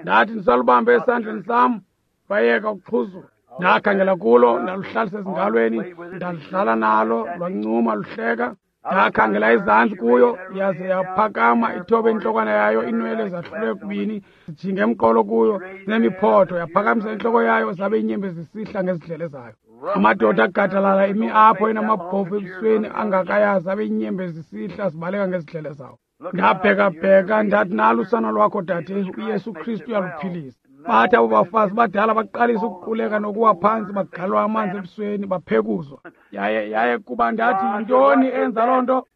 Ndathi ndisalubambe esandleni sam, bayeka ukuxhuzula. Ndakhangela kulo, ndaluhlalisa ezingalweni, ndaludlala nalo, lwancuma luhleka. Ndakhangela ezantsi kuyo, yaze yaphakama ithobe intlokwana yayo, inwele zahlulwe kubini, zijinge emqolo kuyo, zinemiphotho. Yaphakamisa intloko yayo, zabe inyembe zisihla ngezidlele zayo. Amadoda agadalala imi apho enamabhovu ebusweni angakayazi, abe inyembe zisihla zibaleka ngezidlele zawo. Ndabhekabheka, ndathi, nalo usana lwakho dade, uYesu Kristu uyaluphilisa. Bathi abo bafazi badala baqalisa ukuquleka nokuwa phantsi, bagalwa amanzi ebusweni, baphekuzwa. Yaye yaye kuba ndathi, yintoni enza loo nto?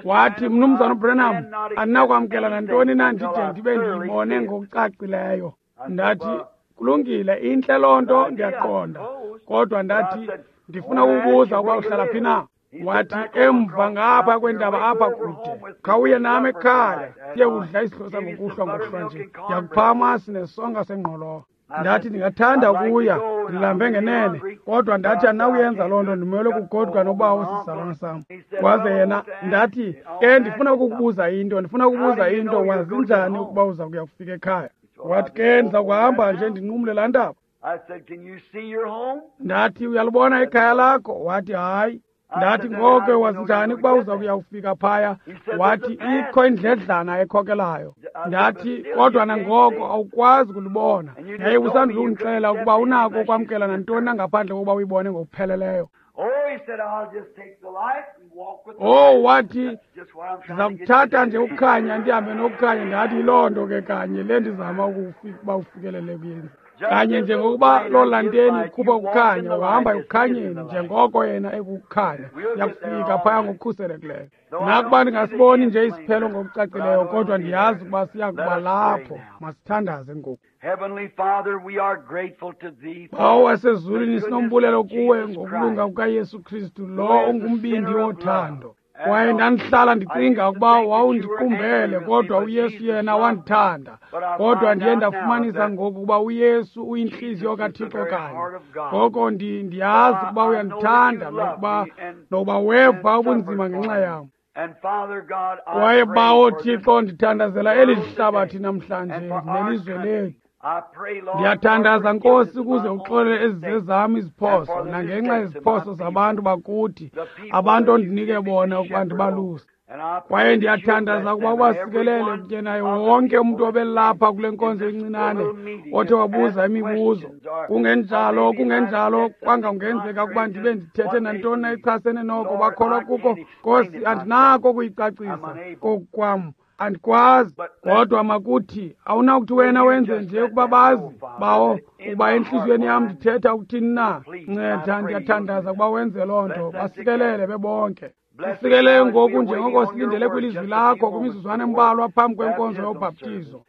Wathi, Mnumzana uBranham, andinakwamkela nantoni na ndide ndibe ndiyibone ngokucacileyo. Ndathi, kulungile, intle loo nto, ndiyaqonda. Kodwa ndathi, ndifuna ukubuza ukuba uhlala phi na. Wathi, emva ngapha kwentaba apha kude. Khawuye nam ekhaya, siye kudla isidlo sangokuhlwa ngokuhlwa nje. Ndiyakupha amasi nesonka sengqolowa. Ndathi, ndingathanda ukuya, ndilambe ngenene. Kodwa ndathi, andinakuyenza loo nto, ndimele ukugoduka nobawo sisizalwana sam. Waze yena, ndathi, ke ndifuna ukukubuza into, ndifuna ukubuza into, wazi njani ukuba uza kuya kufika ekhaya? Wathi, ke ndiza kuhamba nje ndinqumle laa ntaba. Ndathi, uyalubona ikhaya lakho? Wathi, hayi. Ndathi, ngoko wazi njani ukuba uza kuya kufika phaya? Wathi, ikho indledlana ekhokelayo. Ndathi, kodwa nangoko awukwazi kulibona. Yaye usandula undixelela ukuba unako ukwamkela nantoni na ngaphandle kokuba uyibone ngokupheleleyo. Oh, wathi, ndiza kuthatha nje ukukhanya ndihambe nokukhanya. Ndathi, yiloo nto ke kanye le ndizama ukuba ufikelele kuyenza. Kanye njengokuba loo lanteni ikhupha ukukhanya, uhamba ekukhanyeni njengoko yena ekukhanya, yakufika phaya ngokukhuselekileyo. Nakuba ndingasiboni nje isiphelo ngokucacileyo, kodwa ndiyazi ukuba siya kuba lapho. Masithandaze ngoku. Bawo wasezulwini, sinombulelo kuwe ngokulunga kukaYesu Kristu, lo ungumbindi wothando. Kwaye ndandihlala ndicinga ukuba wawundiqumbele, kodwa uYesu yena wandithanda. Kodwa ndiye ndafumanisa ngoku ukuba uYesu uyintliziyo kaThixo kanye. Ngoko ndiyazi ukuba uyandithanda nokuba nokuba weva ubunzima ngenxa yam. Kwaye Bawo Thixo, ndithandazela eli hlabathi namhlanje nelizwe lethu. Ndiyathandaza Nkosi ukuze uxolele ezizezam iziphoso nangenxa yeziphoso zabantu bakuthi, abantu ondinike bona ukuba ndibaluse. Kwaye ndiyathandaza ukuba ubasikelele kunye naye wonke umntu obelapha kule nkonzo encinane othe wabuza imibuzo. Kungenjalo, kungenjalo kwanga kungenzeka ukuba ndibe ndithethe nantoni na echasene noko bakholwa kuko. Nkosi, andinako ukuyicacisa kokwam, andikwazi. Kodwa makuthi awunakuthi wena wenze nje ukuba bazi, Bawo, ukuba entliziyweni yam ndithetha ukuthini na. Nceda, ndiyathandaza ukuba wenze loo nto. Basikelele bebonke. Sikelele ngoku njengoko silindele kwilizwi lakho kwimizuzwana embalwa phambi kwenkonzo yobhaptizo.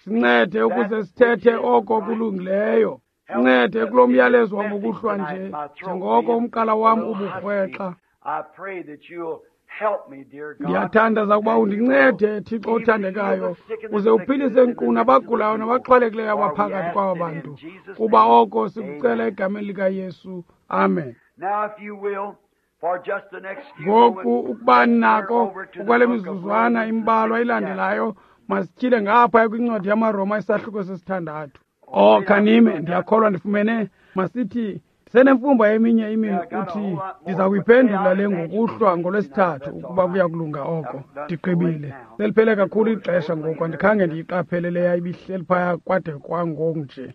Sincede ukuze sithethe oko kulungileyo. Sincede kulo myalezo wangokuhlwa nje njengoko umqala wam uburhwexa. Ndiyathandaza ukuba undincede, Thixo othandekayo, uze uphilise nkqu nabagulayo nabaxhwalekileyo abaphakathi kwaba bantu, kuba oko sikucela egameni likaYesu. Amen. Ngoku ukuba nako ukwale mizuzwana imbalwa ilandelayo, masityhile ngapha kwincwadi yamaRoma isahluko sesithandathu. Oh, khanime, ndiyakholwa ndifumene. Masithi senemfumba eminye imini uthi ndiza kuyiphendula le ngokuhlwa ngolwesithathu ukuba kuya kulunga oko. Ndigqibile. Seliphele kakhulu ixesha ngoku, andikhange ndiyiqaphele leya ibihleli phaya kwade kwangoku nje.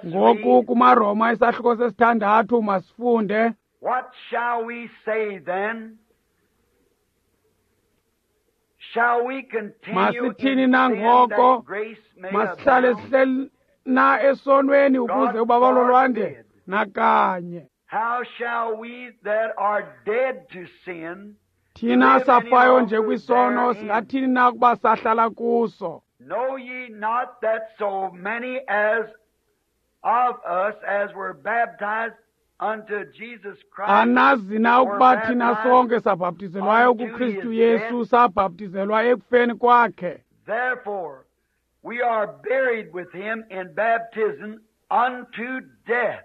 Ngoku kumaRoma isahluko sesithandathu masifunde. What shall we say then? Shall we continue Masithini na ngoko? Masihlale sihleli na esonweni ukuze ubabalo lwande? Nakanye. How shall we that are dead to sin Thina safayo nje kwisono singathini na ukuba sahlala kuso? Know ye not that so many as of us as were baptized unto Jesus Christ Anazi na ukuba thina sonke sabhaptizelwayo kuKristu Yesu, sabhaptizelwa ekufeni kwakhe? Therefore we are buried with him in baptism unto death.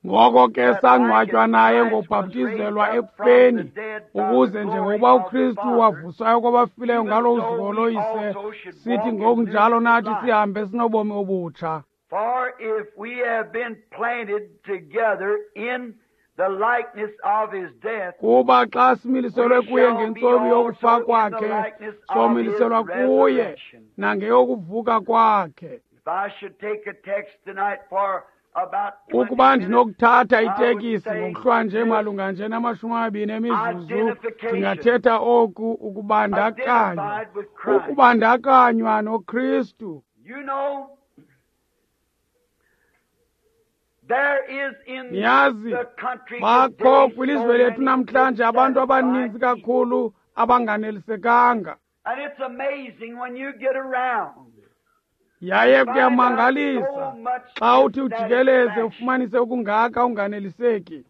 Ngoko ke sangcwatywa naye ngobhaptizelwa ekufeni, ukuze njengokuba uKristu wavuswayo kwabafileyo ngalo uzuko loyise, sithi ngokunjalo nathi sihambe sinobomi obutsha. For if we have been planted together in the likeness of his death, kuba xa similiselwe kuye ngentsomi yokufa kwakhe, somiliselwa kuye nangeyokuvuka kwakhe. If I should take a text tonight for Ukuba ndinokuthatha itekisi ngokuhlwa nje malunga nje namashumi amabini emizuzu, ndingathetha oku ukubandakanywa, ukubandakanywa noKristu. Niyazi, bakho kwilizwe lethu namhlanje abantu abaninzi kakhulu abanganelisekanga. Yaye kuyamangalisa xa uthi ujikeleze ufumanise ukungaka unganeliseki.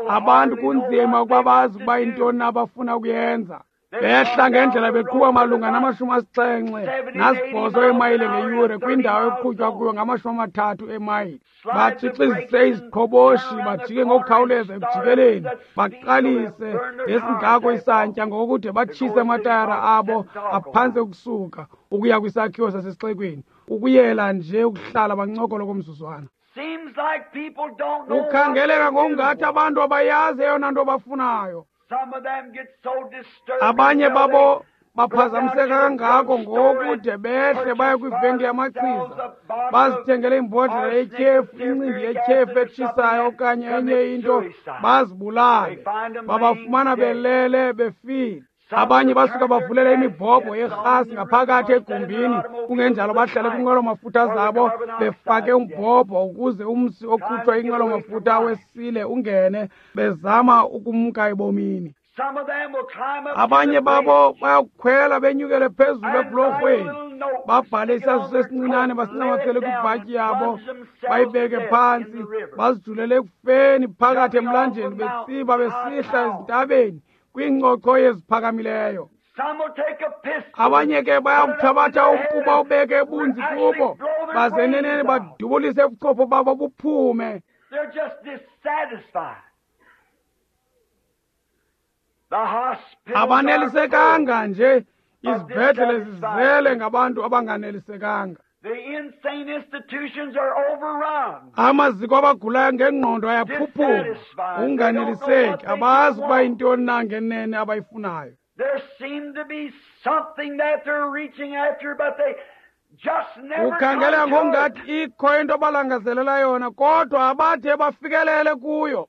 Abantu kunzima ukuba bazi ukuba yintoni abafuna ukuyenza. Behla ngendlela beqhuba malunga namashumi asixhenxe nasibhozo emayile ngeyure kwindawo ekuqhutywa kuyo ngamashumi amathathu emayile. Batshixizise iziqhoboshi, bajike ngokukhawuleza ekujikeleni, baqalise ngesingako isantya ngokude batshise amatayara abo aphantse ukusuka ukuya kwisakhiwo sasesixekweni, ukuyela nje ukuhlala bancokolo komzuzwana. Kukhangeleka ngokungathi abantu abayazi eyona nto bafunayo. Abanye babo baphazamiseka kangako ngokude behle baye kwivenkile yamachiza, bazithengele imbodlela yetyhefu, incindi yetyhefu etshisayo okanye enye into, bazibulale. Babafumana belele befile. Abanye basuka bavulela imibhobho yerhasi ngaphakathi egumbini, kungenjalo bahlale kwinqwelo-mafutha zabo befake umbhobho ukuze umsi okhutshwa inqwelo-mafutha wesile ungene, bezama ukumka ebomini. Abanye babo bayakukhwela benyukele phezulu ebhulorhweni, babhale isaziso esincinane basincamathele kwibhatyi yabo, bayibeke phantsi, bazijulele ekufeni phakathi emlanjeni, betsiba besihla ezintabeni kwiincoko eziphakamileyo. Abanye ke bayakuthabatha umpu bawubeke ebunzi kubo, baze eneneni badubulise ubuchopho babo buphume. Abanelisekanga nje, izibhedlele zizele ngabantu abanganelisekanga. Amaziko abagulayo ngengqondo ayaphuphuma, unganeliseki, abazi ukuba yintoni na ngenene abayifunayo. Ukhangela ngongathi ikho into abalangazelela yona, kodwa abathe bafikelele kuyo.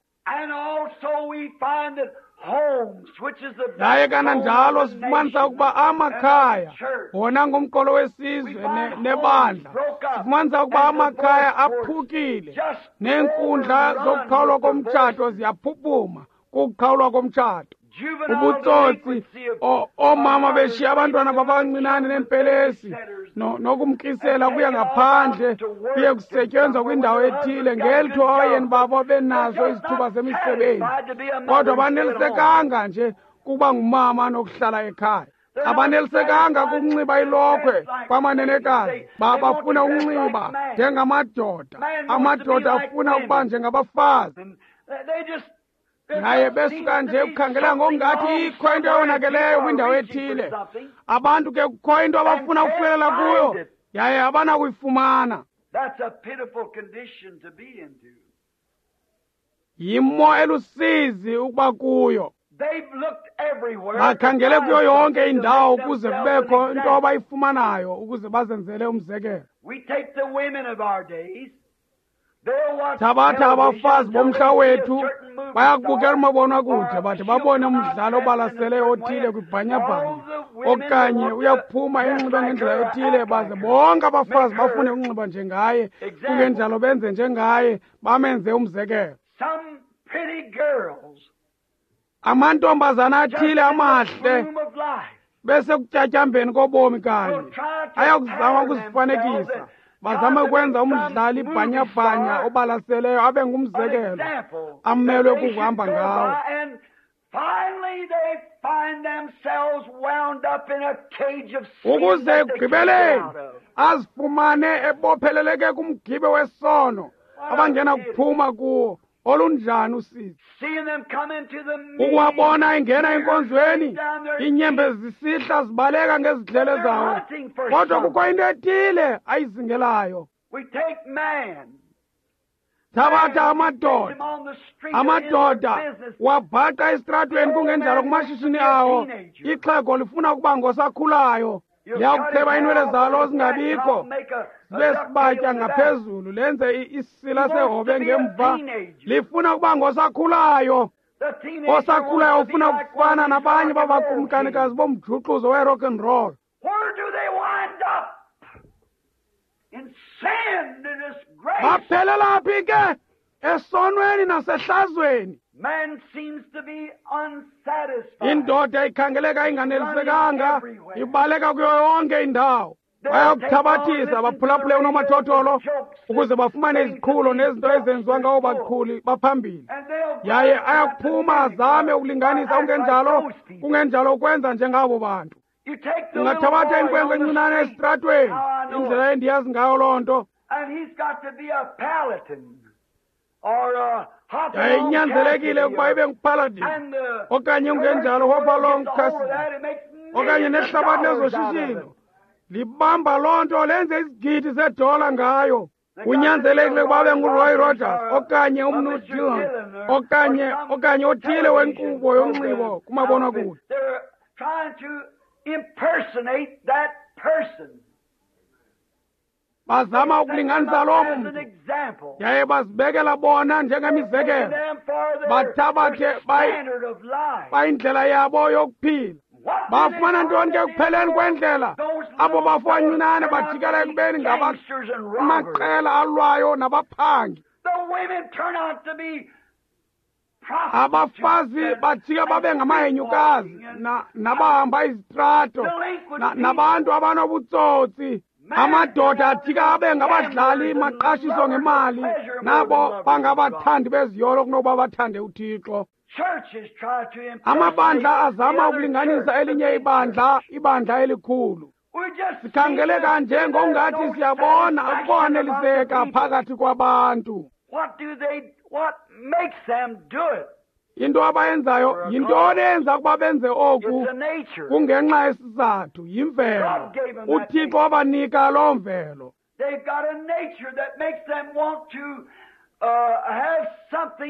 Yaye kananjalo sifumanisa ukuba amakhaya wona ngumqolo wesizwe nebandla, sifumanisa ukuba amakhaya aphukile neenkundla zokuqhawulwa komtshato ziyaphuphuma kukuqhawulwa komtshato. Ubutsotsi, oomama beshiya abantwana babancinane neempelesi nokumkisela kuya ngaphandle kuye kusetyenzwa kwindawo ethile ngelitho abayeni babo benazo izithuba zemisebenzi, kodwa banelisekanga nje kuba ngumama nokuhlala ekhaya. Abanelisekanga kukunxiba ilokhwe kwamanenekazi, bafuna ukunxiba njengamadoda, amadoda afuna ukuba njengabafazi. Yaye besuka nje ukukhangela ngokungathi ikho into eyonakeleyo kwindawo ethile. Abantu ke kukho into abafuna ukufikelela kuyo, yaye abanakuyifumana. Yimo elusizi ukuba kuyo. Bakhangele kuyo yonke indawo ukuze kubekho into abayifumanayo ukuze bazenzele umzekelo. Thabatha abafazi bomhla wethu, bayakubukela umabonakude bathi babone umdlalo obalaseleyo othile kwibhanyabhanya, okanye uyaphuma enxibe ngendlela ethile, baze bonke abafazi bafune ukunxiba njengaye, kungenjalo benze njengaye, bamenze umzekelo. Amantombazana athile amahle bese kutyatyambeni kobomi kanye ayakuzama ukuzifanekisa, bazame ukwenza umdlali bhanyabhanya obalaseleyo abe ngumzekelo amelwe kukuhamba ngawo. Ukuze ekugqibeleni azifumane ebopheleleke kumgibe wesono abangena kuphuma kuwo. Olunjani usizi ukuwabona engena enkonzweni, iinyembezi zisihla zibaleka ngezidlele zawo, kodwa kukho into ethile ayizingelayo. Thabatha amadoda, amadoda wabhaqa esitratweni kungenjalo kumashishini awo. Ixhego lifuna ukuba ngosakhulayo, liyakucheba iinwele zalo zingabikho, zibe sibatya ngaphezulu, lenze isisila sehobe ngemva. Lifuna ukuba ngosakhulayo. Osakhulayo ufuna ukufana nabanye babakumkanikazi bomjuxuzo we-rock and roll. Baphelela phi ke? Esonweni nasehlazweni. Indoda ikhangeleka inganelisekanga, ibaleka kuyo yonke indawo. Bayakuthabathisa baphulaphule unomathotholo ukuze bafumane iziqhulo nezinto ezenziwa ngawo baqhuli baphambili. Yaye ayakuphuma azame ukulinganisa, kungenjalo kungenjalo ukwenza njengabo bantu. Ungathabatha inkwenkwe encinane esitratweni, indlela endiyazi ngayo loo nto. Yaye inyanzelekile ukuba ibe nguPaladin okanye kungenjalo Hopalong Cassidy okanye nehlabathi lezoshishino libamba loo nto lenze izigidi zedola ngayo. Kunyanzelekile ukuba abe nguRoy Rogers okanye umnu Dillon okanye okanye othile wenkqubo yonxibo kumabonakude. Bazama ukulinganisa loo mntu, yaye bazibekela bona njengemizekelo, bathabathe bayindlela yabo yokuphila. Bafumana ntoni ke ekupheleni kwendlela? Abo bafo bancinane bajikela ekubeni ngamaqela alwayo nabaphangi. Abafazi bajika babe ngamahenyukazi nabahamba izitrato nabantu abanobutsotsi. Amadoda ajika abe ngabadlali maqashiso ngemali, nabo bangabathandi beziyolo kunokuba bathande uThixo. Amabandla azama ukulinganisa elinye ibandla, ibandla elikhulu. Sikhangeleka nje ngokungathi siyabona ukwaneliseka phakathi kwabantu. Into abayenzayo yintoni eyenza ukuba benze oku? Kungenxa yesizathu, yimvelo. UThixo wabanika loo mvelo.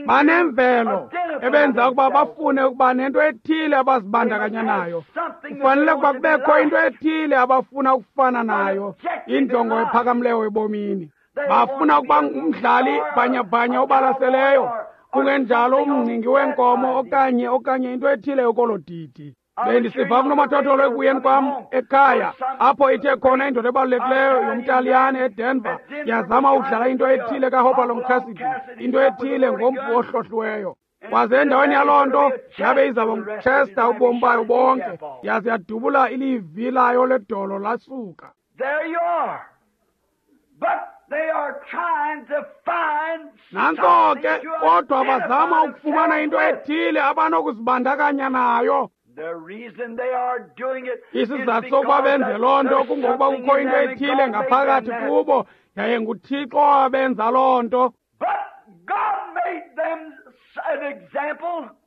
Banemvelo ebenza ukuba bafune ukuba nento ethile abazibandakanya nayo. Kufanele ukuba kubekho into ethile abafuna ukufana nayo, injongo ephakamileyo ebomini. Bafuna ukuba ngumdlali bhanyabhanya obalaseleyo, kungenjalo umngcingi wenkomo okanye okanye into ethile yokolo didi. Bendisiva kunomathotholo ekuyeni kwam ekhaya, apho ithe khona indoda ebalulekileyo yomTaliyane eDenver yazama ukudlala into ethile kaHopalong Cassidy, into ethile ngompu ohlohliweyo. Kwaze endaweni yaloo nto yabe izaba nguChester ubomi bayo bonke, yaze yadubula ilivi layo ledolo lasuka. Nantso ke, kodwa bazama ukufumana into ethile abanokuzibandakanya nayo. Isizathu sokuba benze loo nto kungokuba kukho into ethile ngaphakathi kubo, yaye nguThixo owabenza loo nto.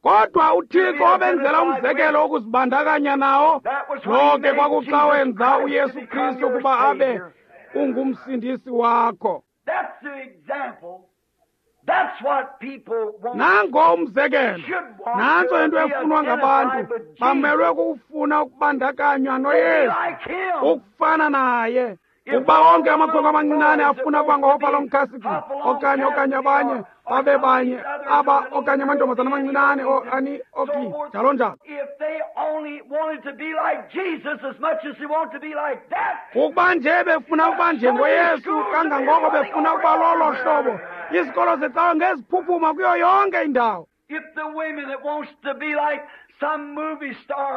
Kodwa uThixo wabenzela umzekelo wokuzibandakanya nawo. Lo ke kwakuxa wenza uYesu Kristu ukuba abe ungumsindisi wakho. Nango umzekelo, nantso into efunwa ngabantu. Bamelwe kukufuna ukubandakanywa noYesu, ukufana naye. Ukuba onke amakhwenkwe amancinane afuna ukuba ngoHopalong Cassidy okanye okanye abanye babe banye aba okanye amantombazana amancinane ani Oakley njalo njalo. Ukuba nje befuna ukuba njengoYesu kangangoko befuna ukuba lolo hlobo, izikolo zecawe ngeziphuphuma kuyo yonke indawo.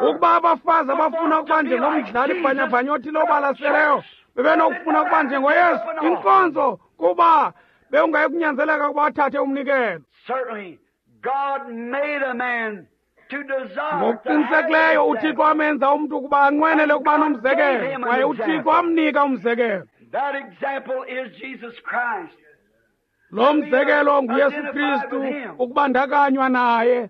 Ukuba abafazi abafuna ukuba njengomdlali bhanyabhanya othile obalaseleyo bebenokufuna ukuba njengoYesu, inkonzo kuba bewungayi kunyanzeleka ukuba athathe umnikelo. Ngokuqinisekileyo uThixo amenza umntu ukuba anqwenele ukuba nomzekelo, kwaye uThixo amnika umzekelo. Lo mzekelo nguYesu Kristu, ukubandakanywa naye.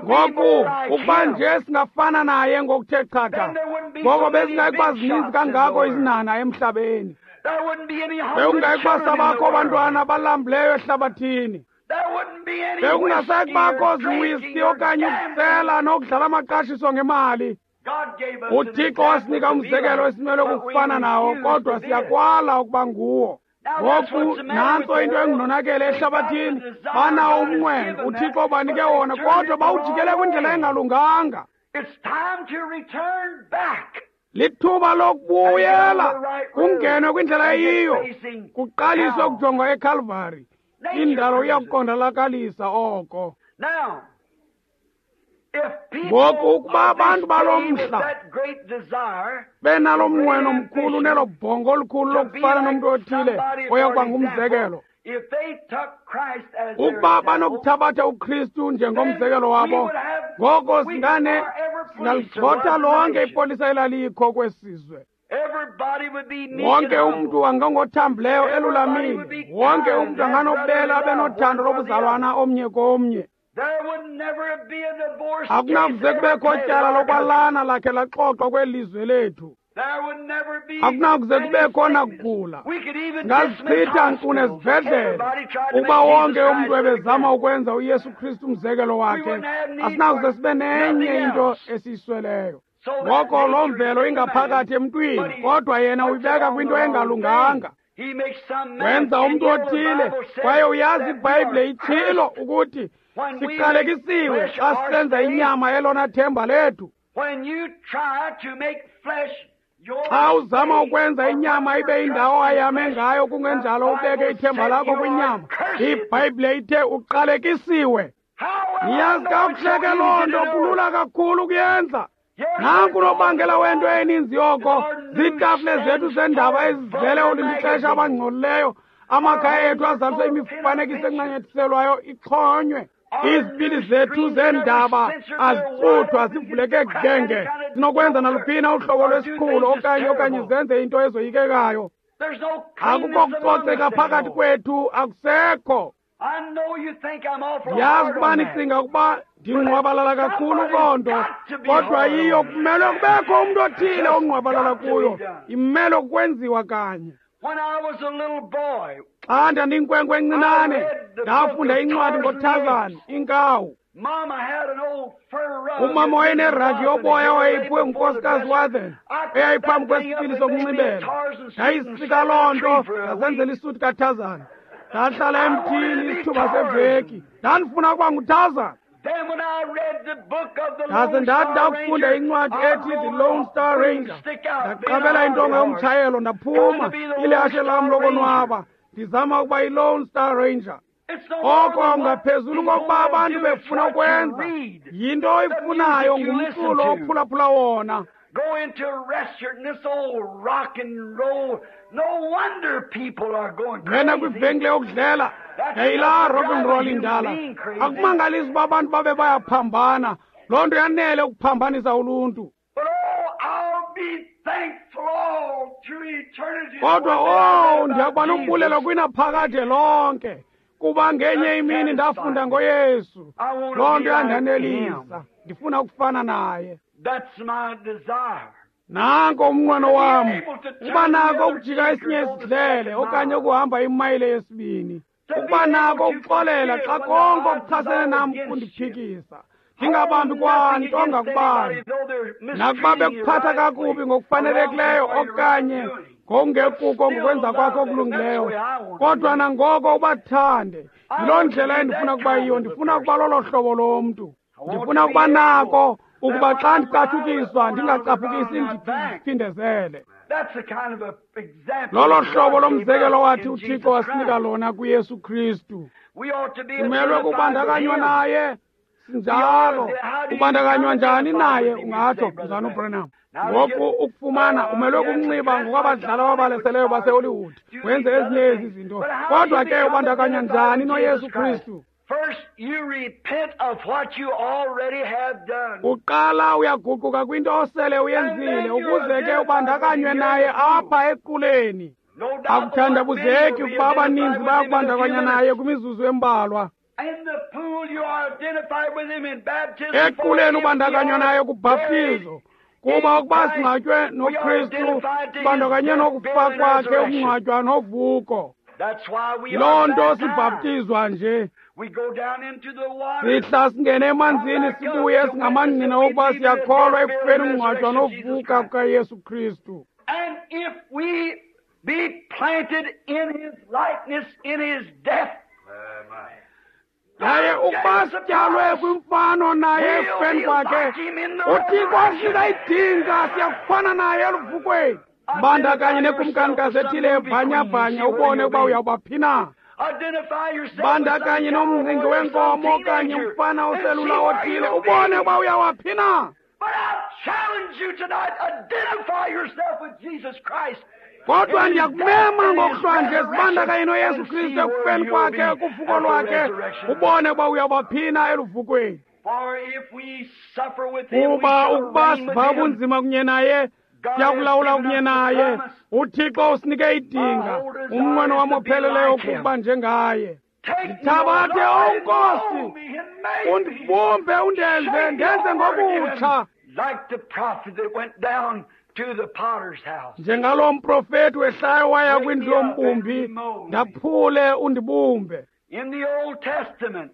Ngoku ukuba nje singafana naye ngokuthe chatha, ngoko bezingayi kuba zininzi kangako izinhanha emhlabeni. Bekungayi kuba sabakho abantwana abalambileyo ehlabathini. Bekungasayi kubakho ziwiski okanye ukusela nokudlala amaqashiso ngemali. UThixo wasinika umzekelo esimelwe kukufana nawo, kodwa siyakwala ukuba nguwo. Ngoku nantso into engunonakele ehlabathini. Banawo umnqweno, uThixo ubanike wona, kodwa bawujikele kwindlela engalunganga. Lithuba lokubuyela kungenwe kwindlela eyiyo, kuqaliswe ukujongwa eKalvari. Indalo iyakuqondalakalisa oko. Ngoku ukuba abantu balo mhla benalo mnqweno mkhulu nelo bhongo olukhulu lokufana nomntu othile oya kuba ngumzekelo, ukuba banokuthabatha uKristu njengomzekelo wabo, ngoko singane singaligxotha lonke ipolisa elalikho kwesizwe. Wonke umntu angangothambileyo elulamile, wonke umntu anganobela abe nothando lobuzalwana omnye komnye. Akunakuze kubekho tyala lokwalana lakhe laxoxwa kweli lizwe lethu. Akunakuze kubekho nakugula. Singazichitha nkqu nezibhedlele ukuba wonke umntu ebezama ukwenza uYesu Kristu umzekelo wakhe. Asinakuze sibe nenye into esiyisweleyo. Ngoko loo mvelo ingaphakathi emntwini, kodwa yena uyibeka kwinto engalunganga. Wenza umntu othile, kwaye uyazi iBhayibhile itshilo ukuthi siqalekisiwe xa sisenza inyama elona themba lethu. Xa uzama ukwenza inyama ibe indawo ayame ngayo, kungenjalo ubeke ithemba lakho kwinyama, iBhayibhile ithe uqalekisiwe. Niyazi kakuhle ke loo nto, kulula kakhulu ukuyenza. Nanku unobangela wento eninzi yoko ziitafile zethu zendaba ezizele olindixesha abangcolileyo, amakhaya ethu azaliswe imifanekiso encanyathiselwayo ixhonywe. Izipili zethu zeendaba azicuthwa, zivuleke genge, zinokwenza naluphina uhlobo lwesiqhulo okanye okanye zenze into ezoyikekayo. Akukho kucoceka phakathi kwethu, akusekho. Ndiyazi ukuba nicinga ukuba ndingqwabalala kakhulu kuloo nto, kodwa yiyo kumele kubekho umntu othile ongqwabalala kuyo. Imele ukwenziwa kanye. Xa ndandiyinkwenkwe encinane, ndafunda incwadi ngoTarzan, inkawu. Umama wayeneragi yoboya owayeyiphiwe ngunkosikazi Wathen, eyayiphambi kwesipili sokunxibela. Ndayisika loo nto, ndasenzela isuti kaTarzan. Ndahlala emthini isithuba seveki. Ndandifuna ukuba nguTarzan. Ndaze ndathi ndakufunda incwadi ethi The Lone Star Ranger, ndaqabela intonga yomtshayelo ndaphuma ilihashe lam lokonwaba, ndizama ukuba yi-Lone Star Ranger. Oko ngaphezulu kokuba abantu befuna ukwenza, yinto oyifunayo ngumculo ophulaphula wona. Go into a restaurant and this old rock and roll. No wonder people are going Ngena crazy. kwivenkile yokudlela, yayilaa rock and roll indala. Akumangalisi uba abantu babe bayaphambana. Loo nto yanele ukuphambanisa uluntu. But oh, I'll be thankful all through eternity. Kodwa One day I oh, read about ndiyakuba nombulelo Jesus. kwinaphakade lonke. Kuba ngenye imini ndafunda ngoYesu. I want Loo to nto be like him. yandanelisa. Ndifuna ukufana naye. That's my desire. Nanko umnqweno wam, uba nako ukujika esinye isidlele okanye ukuhamba imayile yesibini, ukuba nako ukuxolela xa konke okuchasene nam kundiphikisa, ndingabambi kwanto ngakubani, nakuba bekuphatha kakubi ngokufanelekileyo okanye ngokungekuko ngokwenza kwakho okulungileyo, kodwa nangoko ubathande. Yiloo ndlela endifuna ukuba yiyo. Ndifuna ukuba lolo hlobo lomntu. Ndifuna ukuba nako ukuba xa ndicatshukiswa ndingacaphukisi ndiphindezele. That's the kind of a example Lolo that hlobo God gave lomzekelo us wathi in uThixo Jesus wasinika Christ. lona kuYesu Kristu. We ought to be Simelwe identified with kubandakanywa him. naye. Sinjalo. Ubandakanywa njani naye? Ungatsho mzana uBranham. Ngoku ukufumana umelwe kumnxiba ngokwabadlali ababaleseleyo baseHollywood, wenze ezinye ezi zinto. Kodwa ke ubandakanywa njani noYesu Kristu? First, you repent of what you already have done. Uqala uyaguquka kwinto osele uyenzile ukuze ke ubandakanywe naye apha equleni. No doubt but what many Akuthandabuzeki will be ukuba abaninzi identified with him in a few bayakubandakanya minutes. naye kwimizuzu embalwa. In the pool, you are identified with him in baptism. For Equleni if we ubandakanywa are naye kubhaptizo. Kuba ukuba buried in singcwatywe Christ, we are noKristu, identified to his sibandakanye death, nokufa burial, and kwakhe, resurrection. ukungcwatywa novuko. That's why we Yiloo are nto baptized. sibhaptizwa nje. We go down into the water. Sihla singene emanzini sibuye singamangqina wokuba siyakholwa ekufeni, ukungcwatywa novuka kukaYesu Kristu. And if we be planted in his likeness, in his death, Yaye ukuba sityalwe kwimfano naye ekufeni kwakhe, uThixo wasinika idinga, siyakufana naye eluvukweni. Bandakanye nekumkanikazi ethile ebhanyabhanya ubone ukuba uyawuba phi na. Identify yourself with Bandakanye some nomngqingi cowboy or some wenkomo okanye teenager umfana and oselula see where othile you'll ubone be. ukuba uyawaphi na. But I challenge you tonight, identify yourself with Jesus Christ. Kodwa ndiyakumema ngokuhlwanje, sibandakanye noYesu Kristu ekufeni kwakhe, kuvuko lwakhe, ubone ukuba uyawuba phi na eluvukweni. For if we suffer with him, we Kuba shall ukuba reign with siva him. ubunzima kunye naye, siyakulawula kunye naye. UThixo usinike idinga. Umnqweno wam opheleleyo kukuba njengaye. Take me, Ndithabathe, O Lord, O Nkosi, and mold me and make me. undibumbe undenze Shape me ndenze over again, ngokutsha, like the prophet that went down to the potter's house. Njengalo mprofeti wehlayo waya kwindlu yombumbi. Ndaphule undibumbe. In the Old Testament,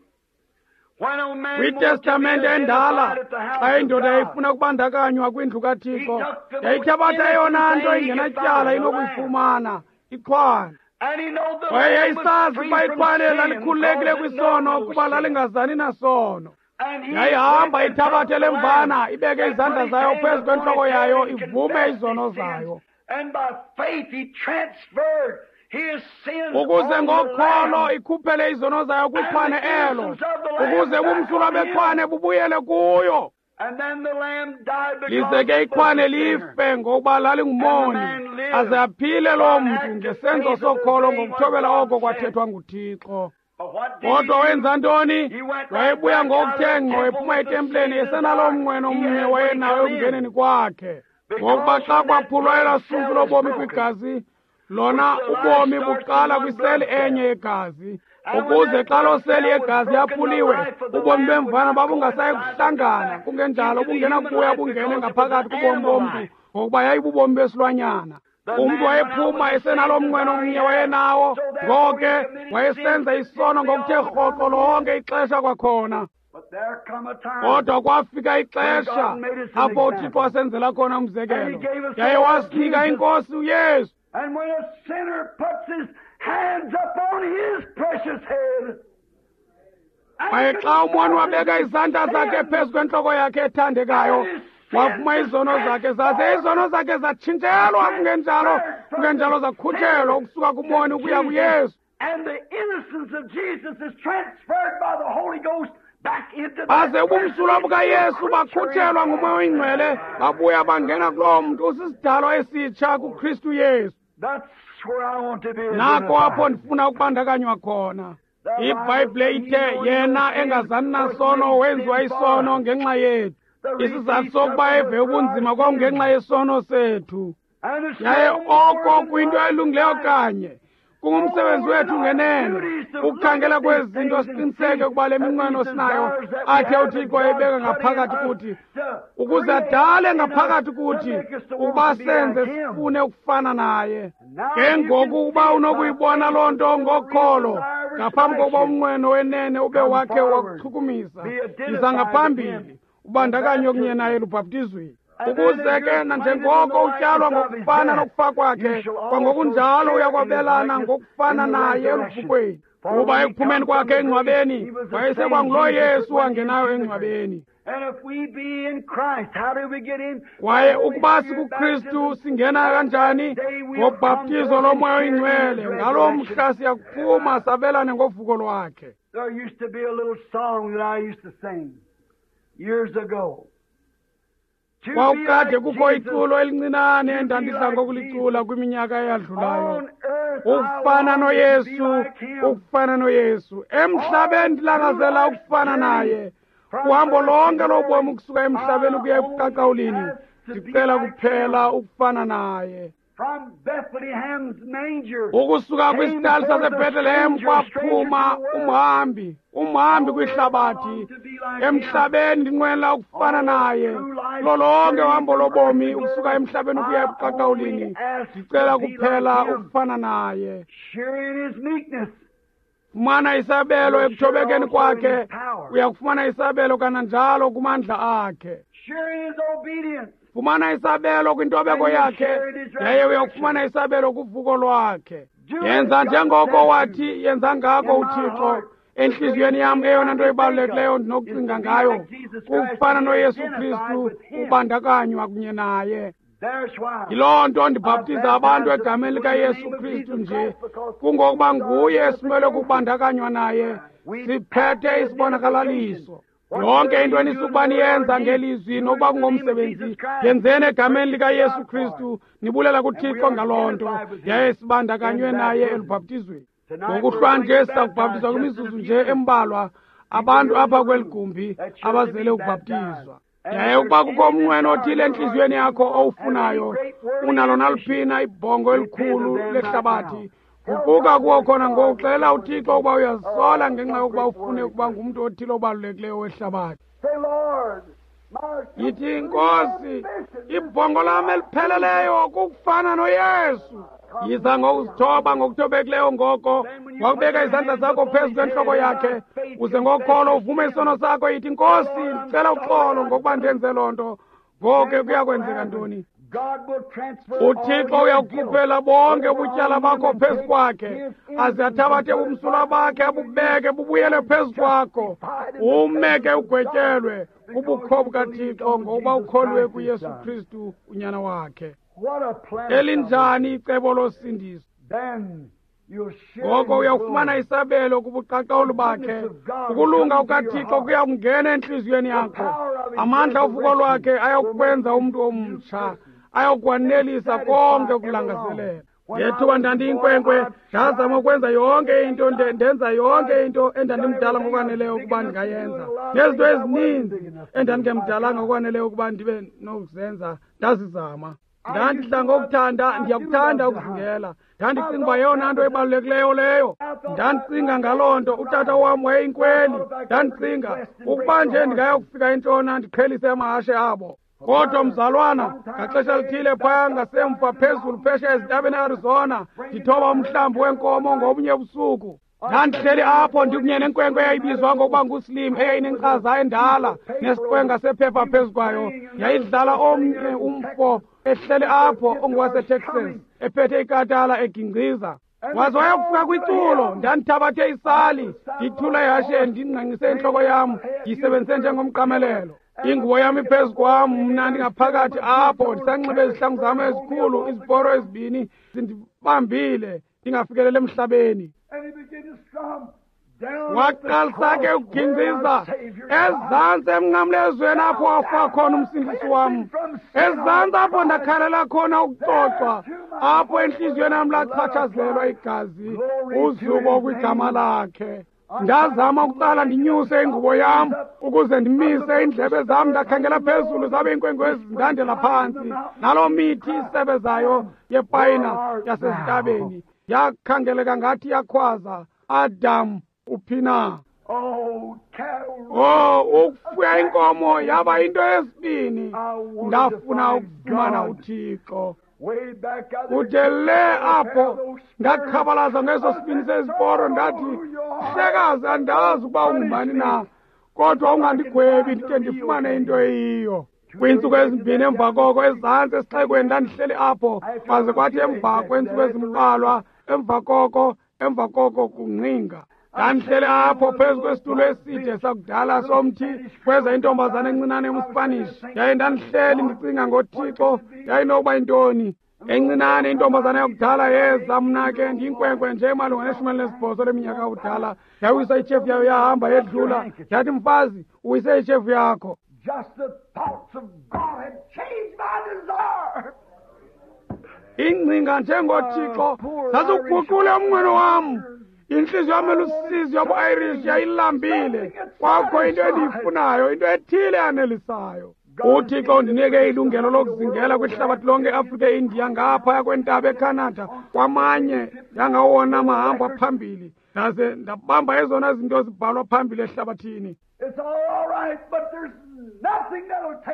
when a man wanted to be KwiTestamente endala, identified at the house xa of indoda God, yayifuna ukubandakanywa kwindlu kaThixo, yayithabatha eyona nto ingenatyala inokuyifumana, ixhwane. and he know the Kwaye lamb was yayisazi free ukuba from ixhwane sin lalikhululekile because it kwisono, know no kuba sin. lalingazani nasono. And he Yayihamba went and ithabathe took the le mvana, lamb ibeke and izandla put his zayo hand phezu upon kwentloko his head yayo, and ivume confessed izono his sins. zayo, And by faith he transferred his sins ukuze on the ngokholo lamb. ikhuphele izono zayo kwixhwane elo, And the innocence of the lamb ukuze back bumsulwa on him. bexhwane bubuyele kuyo. And then the lamb died because Lize ke he was ixhwane a sinner. life ngokuba lalingumoni, aze aphile loo mntu ngesenzo sokholo ngokuthobela oko kwathethwa nguThixo. But what did Kodwa he do? wenza ntoni? He went right Wayebuya back out of ngokuthe the ngqo temple ephuma with the etempileni same esenaloo desire mnqweno he mnye had when he wayenayo come in. ekungeneni kwakhe. Ngokuba Because xa when that kwaphulwa elaa blood sunku cell was lobomi broken, kwigazi, lona which the life ubomi starts in buqala one kwiseli blood cell, enye yegazi, Ukuze xa loo seli yegazi yaphuliwe, ubomi bemvana babungasayi kuhlangana, kungenjalo bungenakubuya bungene ngaphakathi kubomi bomntu, ngokuba yayibubomi besilwanyana. Umntu wayephuma esenalo mnqweno omnye wayenawo, ngoko ke wayesenza isono ngokuthe rhoqo lonke ixesha kwakhona. Kodwa kwafika ixesha apho uThixo wasenzela khona umzekelo, yaye wasinika iNkosi uYesu. And when a sinner puts his hands upon his precious head, kwaye xa umoni wabeka izandla zakhe phezu kwentloko yakhe ethandekayo, wavuma izono zakhe, zaze izono zakhe zatshintshelwa, kungenjalo kungenjalo zakhutshelwa ukusuka kumoni ukuya kuYesu. And the innocence of Jesus is transferred by the Holy Ghost back into baze ubumsulwa bukaYesu bakhutshelwa nguMoya oyiNgcwele, babuya bangena kuloo mntu usisidalwa esitsha kuKristu Yesu. Nako apho ndifuna ukubandakanywa khona. IBhayibhile ithe yena engazani nasono wenziwa isono ngenxa yethu. Isizathu sokuba eve ubunzima kwakungenxa yesono sethu. Yaye oko kuyinto elungileyo kanye. Kungumsebenzi wethu ngenene ukukhangela kwezi zinto siqiniseke ukuba le minqweno sinayo athe uThixo wayibeka ngaphakathi kuthi, ukuze adale ngaphakathi kuthi ukuba senze sifune ukufana naye. Ke ngoku ukuba unokuyibona loo nto ngokholo, ngaphambi kokuba umnqweno wenene ube wakhe wakuchukumisa, yiza ngaphambili ubandakanywe kunye naye elubhaptizweni. Ukuze ke nanjengoko utyalwa ngokufana nokufa kwakhe, kwangokunjalo uyakwabelana ngokufana naye eluvukweni. Kuba ekuphumeni kwakhe engcwabeni, wayesekwanguloo Yesu wangenayo engcwabeni. Kwaye ukuba sikuKristu singena kanjani? Ngobhaptizo loMoya oyiNgcwele. Ngaloo mhla siyakuphuma sabelane ngovuko lwakhe. There used to be a little song that I used to sing years ago. Kwakukade kukho iculo elincinane endandidla ngokulicula kwiminyaka eyadlulayo. Ukufana noYesu, ukufana noYesu. Emhlabeni ndilangazela ukufana naye. Uhambo lonke lobomi ukusuka emhlabeni ukuya ebuqaqawulini, ndicela kuphela ukufana naye. Ukusuka kwisitali saseBethlehem kwaphuma umhambi, umhambi kwihlabathi. Emhlabeni ndinqwenela ukufana naye. Kulo lonke uhambo lobomi ukusuka emhlabeni ukuya ebuqaqawulini, ndicela kuphela ukufana naye. Fumana isabelo ekuthobekeni kwakhe, uyakufumana isabelo kananjalo kumandla akhe. Fumana isabelo kwintobeko yakhe, yaye uyakufumana isabelo kuvuko lwakhe. Yenza njengoko wathi yenza ngako uThixo. Enhliziyweni yam eyona nto ibalulekileyo ndinokucinga ngayo kufana noYesu Kristu, ubandakanywa kunye naye. Yiloo nto ndibhaptiza abantu egameni likaYesu Kristu nje, kungokuba nguye esimele kubandakanywa naye. Siphethe isibonakalaliso. Yonke into enisukuba niyenza ngelizwi nokuba kungomsebenzi, yenzeni egameni likaYesu Kristu, nibulela kuThixo ngaloo nto, yaye sibandakanywe naye elubhaptizweni. Ngokuhlwa nje sizakubhaptizwa kwimizuzu nje embalwa abantu apha kweli gumbi abazele ukubhaptizwa. Yaye ukuba kukho umnqweno othile entliziyweni yakho owufunayo, unalo naliphina ibhongo elikhulu lehlabathi, guquka kuwo khona ngoku, xelela uThixo ukuba uyazisola ngenxa yokuba ufune ukuba ngumntu othile obalulekileyo wehlabathi. Yithi, Nkosi, ibhongo lam elipheleleyo kukufana noYesu. Yiza ngokuzithoba ngokuthobekileyo ngoko, wakubeka izandla zakho phezu kwentloko yakhe, uze ngokholo uvume isono sakho. Yithi, Nkosi, ndicela uxolo ngokuba ndenze loo nto. Ngoku kuya kwenzeka ntoni? uThixo uyakukhuphela bonke ubutyala bakho phezu kwakhe, aze athabathe ubumsulwa bakhe abubeke bubuyele phezu kwakho, ume ke ugwetyelwe kubukho bukaThixo ngokuba ukholwe kuYesu Kristu unyana wakhe. Elinjani icebo losindiso! Ngoko uyawufumana isabelo kubuqaqawuli bakhe. Ukulunga kukaThixo kuyakungena entliziyweni yakho. Amandla ovuko lwakhe ayakukwenza umntu omtsha, ayakukwanelisa konke ukulangazelela. Ngethuba ndandiyinkwenkwe, ndazama ukwenza yonke into, ndenza yonke into endandimdala ngokwaneleyo ukuba ndingayenza, nezinto ezininzi endandingemdalanga ngokwaneleyo ukuba ndibe nokuzenza, ndazizama. Ndandidla ngokuthanda, ndiyakuthanda ukuzingela. Ndandicinga uba yeyona nto ebalulekileyo leyo. Ndandicinga ngaloo nto, utata wam wayeyinkweli. Ndandicinga ukuba nje ndingaya kufika entshona ndiqhelise amahashe abo. Kodwa mzalwana, ngaxesha lithile phaya ngasemva phezulu phesheya ezintabeni eArizona, ndithoba umhlambi weenkomo ngobunye busuku. Ndandihleli apho ndikunye nenkwenkwe eyayibizwa ngokuba nguSlim, eyayinenkcaza endala nesiqwenga sephepha phezu kwayo. Yayidlala omnye umfo ehleli apho ongowaseTexas, ephethe ikatala egingqiza. Waze wayokufika kwiculo, ndandithabathe isali, ndithule ehasheni, ndingqengqise intloko yam, ndiyisebenzise njengomqamelelo. Ingubo yam iphezu kwam, mna ndingaphakathi apho, ndisanxibe izihlangu zam ezikhulu, iziporo ezibini zindibambile, ndingafikeleli emhlabeni. Waqalisa ke ukugingqiza ezantsi emnqamlezweni apho wafa khona umsindisi wam, ezantsi apho ndakhalela khona ukucocwa, apho entliziyweni yam lachatshazelwa igazi, uzuko kwigama lakhe. Ndazama ukuqala ndinyuse ingubo yam ukuze ndimise iindlebe zam, ndakhangela phezulu zabe iinkwenkwezi zindandela phantsi. Naloo mithi isebezayo yepayina yasezintabeni yakhangeleka ngathi yakhwaza, Adam uphi na? Oh, ukufuya inkomo yaba yinto yesibini. Ndafuna ukufumana uThixo. Kude le apho ndakhabalaza ngeso sibini seziporo, ndathi, Mhlekazi, andazi ukuba ungubani na, kodwa ungandigwebi ndide ndifumane into eyiyo. Kwiintsuku ezimbini emva koko, ezantsi esixekweni ndandihleli apho, kwaze kwathi emva kweentsuku ezimbalwa emva koko emva koko kungqinga. Ndandihleli apho phezu kwesitulo eside sakudala somthi, kweza intombazana encinane yomSpanish. Yaye ndandihleli ndicinga ngoThixo, yayinokuba yintoni. Encinane intombazana yakudala yeza, mna ke ndiyinkwenkwe nje malunga neshumi elinesibhozo leminyaka kudala. Yawisa itshefu yayo yahamba yedlula. Yathi, mfazi, uwise itshefu yakho. Just the thoughts of God had changed my desire. Ingcinga njengoThixo zaziguqule umnqweno wam. Intliziyo yam elusizi yobu-Irish yayilambile. Kwakho into endiyifunayo, into ethile yanelisayo. UThixo undinike ilungelo lokuzingela kwihlabathi lonke, eAfrika, eIndiya, ngaphaya kwentaba eCanada, kwamanye yangawona mahamba phambili. Ndaze ndabamba ezona zinto zibhalwa phambili ehlabathini.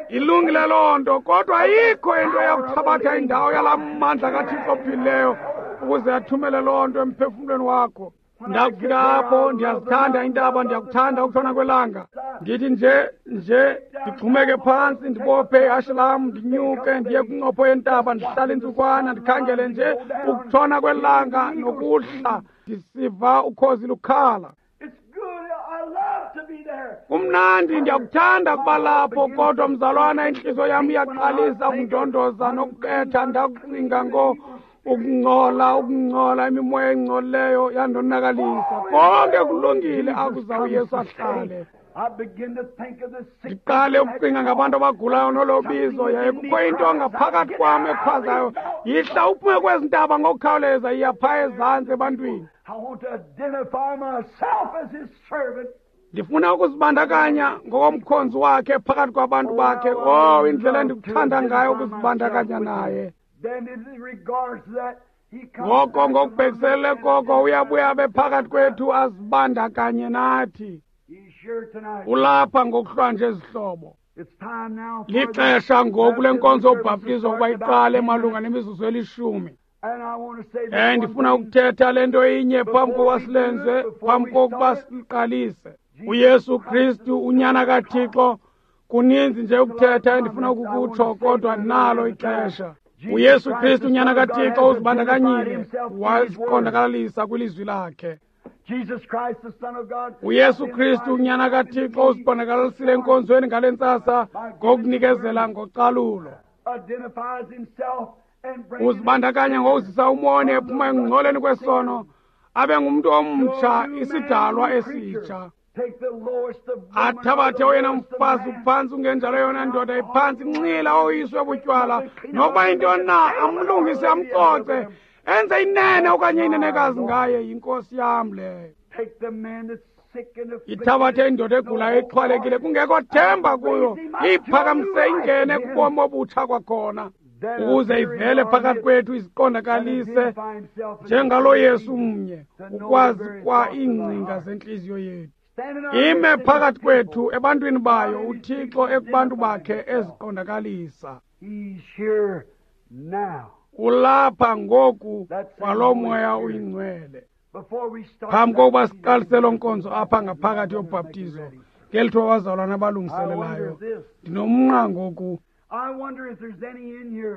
Ilungile loo nto, kodwa ayikho into eyakuthabatha indawo yalaa mandla kaThixo ophilileyo ukuze athumele loo nto emphefumlweni wakho. Ndakufika apho, ndiyazithanda iintaba, ndiyakuthanda ukutshona kwelanga. Ndithi nje nje ndixhumeke phantsi, ndibophe ihashe lam, ndinyuke ndiye kwincopho yentaba, ndihlale intsukwana, ndikhangele nje ukutshona kwelanga nokuhla, ndisiva ukhozi lukhala. Kumnandi, ndiyakuthanda kuba lapho, kodwa mzalwana, intliziyo yam iyaqalisa ukundondoza nokubetha. Ndakucinga ngo ukungcola, ukungcola, imimoya engcolileyo yandonakalisa. Konke kulungile akuza uYesu ahlale. Ndiqale ukucinga ngabantu abagulayo nolobizo, yaye kukho into ngaphakathi kwam ekhwazayo, yihla uphume kwezi ntaba ngokukhawuleza, iya phaya ezantsi ebantwini. Ndifuna ukuzibandakanya ngokomkhonzi wakhe phakathi kwabantu bakhe. Oh, indlela endikuthanda ngayo ukuzibandakanya naye. Ngoko ngokubhekiselele koko uyabuya abe phakathi kwethu azibandakanye nathi. Ulapha ngokuhlwanje zihlobo. Lixesha ngoku lenkonzo yobhaptizo ukuba iqale malunga nemizuzu elishumi. Eh, ndifuna ukuthetha le nto inye phambi kokuba silenze, phambi kokuba siqalise. uYesu Kristu, unyana kaThixo, kuninzi nje ukuthetha endifuna ukukutsho, kodwa nalo ixesha. uYesu Kristu, unyana kaThixo, uzibandakanyile, waziqondakalisa kwilizwi lakhe. uYesu Kristu, unyana kaThixo, uzibonakalisile enkonzweni ngale ntsasa ngokunikezela ngocalulo. Uzibandakanya ngokuzisa umoni ephuma ekungcoleni kwesono, abe ngumntu omtsha, isidalwa esitsha. Athabathe oyena mfazi uphantsi, ungenjalo yona ndoda iphantsi, nxila oyiswe butywala, nokuba yintoni na, amlungise, amcoce, enze inene okanye inenekazi ngaye. Yinkosi yam leyo. Ithabathe indoda egulayo exhwalekile, kungekho themba kuyo, iyiphakamise ingene kubomi obutsha kwakhona. Ukuze ivele phakathi kwethu iziqondakalise njengalo Yesu mnye, ukwazi kwa iingcinga zentliziyo yethu. Ime phakathi kwethu ebantwini bayo, uThixo ekubantu bakhe eziqondakalisa. Ulapha ngoku kwalo Moya uyiNgcwele. Phambi kokuba siqalise loo nkonzo apha ngaphakathi yobhaptizo, ngeli thuba abazalwana abalungiselelayo, ndinomnqa ngoku.